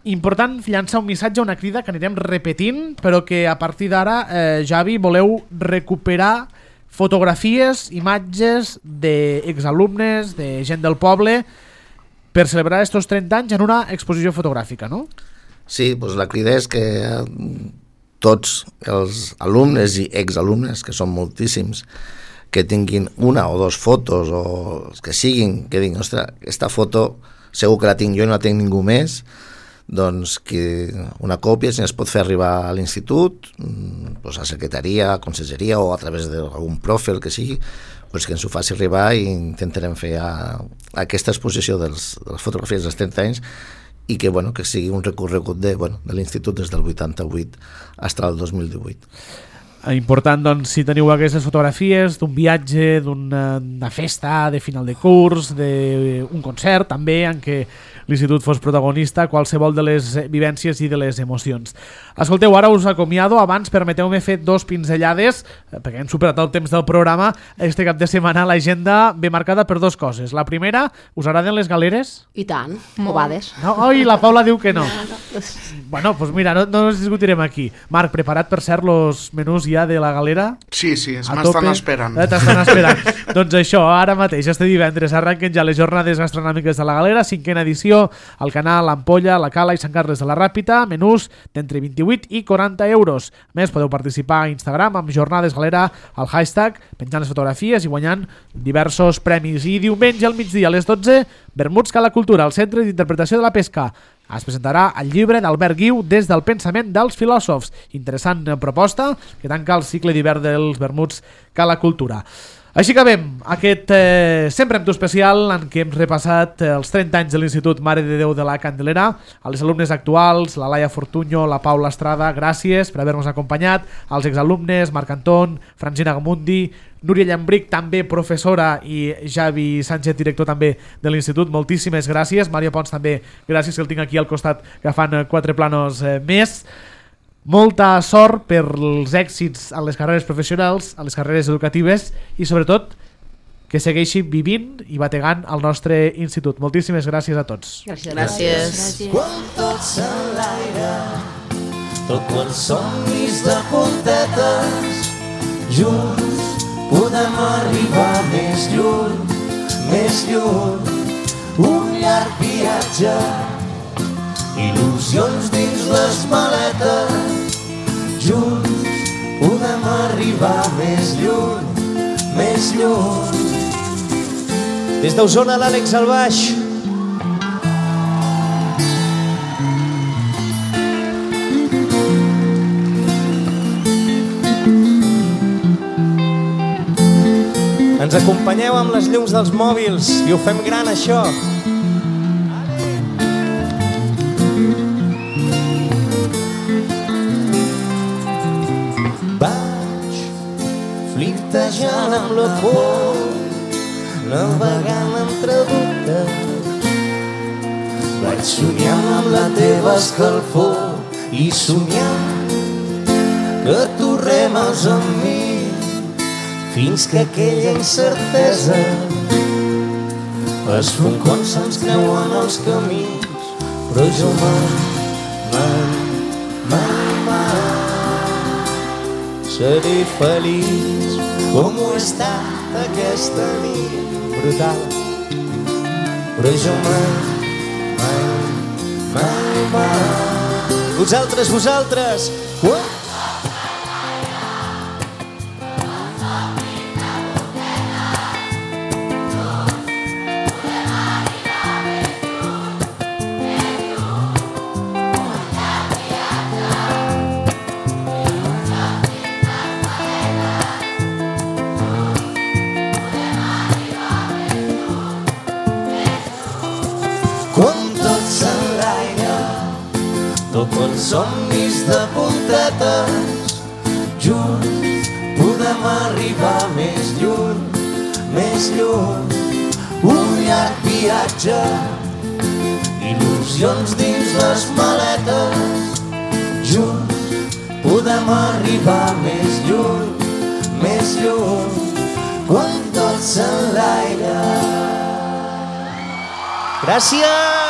important llançar un missatge, una crida que anirem repetint, però que a partir d'ara, Javi, voleu recuperar fotografies, imatges d'exalumnes, de gent del poble, per celebrar estos 30 anys en una exposició fotogràfica, no? Sí, doncs la crida és que tots els alumnes i exalumnes, que són moltíssims, que tinguin una o dos fotos, o els que siguin, que diguin, ostres, aquesta foto segur que la tinc jo i no la tinc ningú més, doncs que una còpia, si es pot fer arribar a l'institut, doncs a secretaria, a conselleria o a través d'algun profil que sigui, doncs que ens ho faci arribar i intentarem fer aquesta exposició de les fotografies dels 30 anys i que sigui un recorregut de l'institut des del 88 fins al 2018. Important, doncs, si teniu aquestes fotografies d'un viatge, d'una festa de final de curs, d'un concert també en què l'institut fos protagonista, qualsevol de les vivències i de les emocions. Escolteu, ara us acomiado. Abans permeteu-me fer 2 pinzellades, perquè hem superat el temps del programa. Este cap de setmana l'agenda ve marcada per 2 coses. La primera, us agraden les galeres? I tant, ovades. No? Oi, la Paula diu que no. Bueno, doncs mira, no ens discutirem aquí. Marc, preparat per cert los menús ja de la Galera? Sí, m'estan esperant. T'estan esperant. Doncs això, ara mateix, este divendres, arrenquen ja les jornades gastronòmiques de la Galera, 5ª edició, al Canal, l'Ampolla, la Cala i Sant Carles de la Ràpita, menús d'entre 28 i 40 euros. A més, podeu participar a Instagram amb Jornades Galera, al hashtag, penjant les fotografies i guanyant diversos premis. I diumenge al migdia a les 12, vermuts Cala Cultura, al Centre d'Interpretació de la Pesca. Es presentarà el llibre d'Albert Guiu Des del pensament dels filòsofs. Interessant proposta que tanca el cicle d'hivern dels vermuts Cala Cultura. Així acabem aquest Sempre amb tu especial en què hem repassat els 30 anys de l'Institut Mare de Déu de la Candelera. A les alumnes actuals, la Laia Fortuño, la Paula Estrada, gràcies per haver-nos acompanyat. Als exalumnes, Marc Anton, Francina Gamundi, Núria Llambric, també professora, i Javi Sánchez, director també de l'Institut, moltíssimes gràcies. Mario Pons també, gràcies, que el tinc aquí al costat agafant 4 planos més. Molta sort per els èxits a les carreres professionals, a les carreres educatives i sobretot que segueixi vivint i bategant al nostre institut. Moltíssimes gràcies a tots. Gràcies. Quan tot s'enlaira, tot quants somnis de puntetes, junts podem arribar més lluny, més lluny. Un llarg viatge, il·lusions dins les maletes, junts podem arribar més lluny, més lluny. Des d'Osona, l'Àlex al baix. Ens acompanyeu amb les llums dels mòbils i ho fem gran, això. Vaig flirtejant amb la por, navegant entre dubtes. Vaig somiant amb la teva escalfor i somiant que tu remes amb mi fins que aquella incertesa es fon quan se'ns creuen els camins. Però jo seré feliç com ho he estat aquesta nit brutal. Però jo mai. Vosaltres, somnis de puntetes, junts podem arribar més lluny, més lluny. Un llarg viatge, il·lusions dins les maletes, junts podem arribar més lluny, més lluny. Quan tot s'enlaira. gràcies!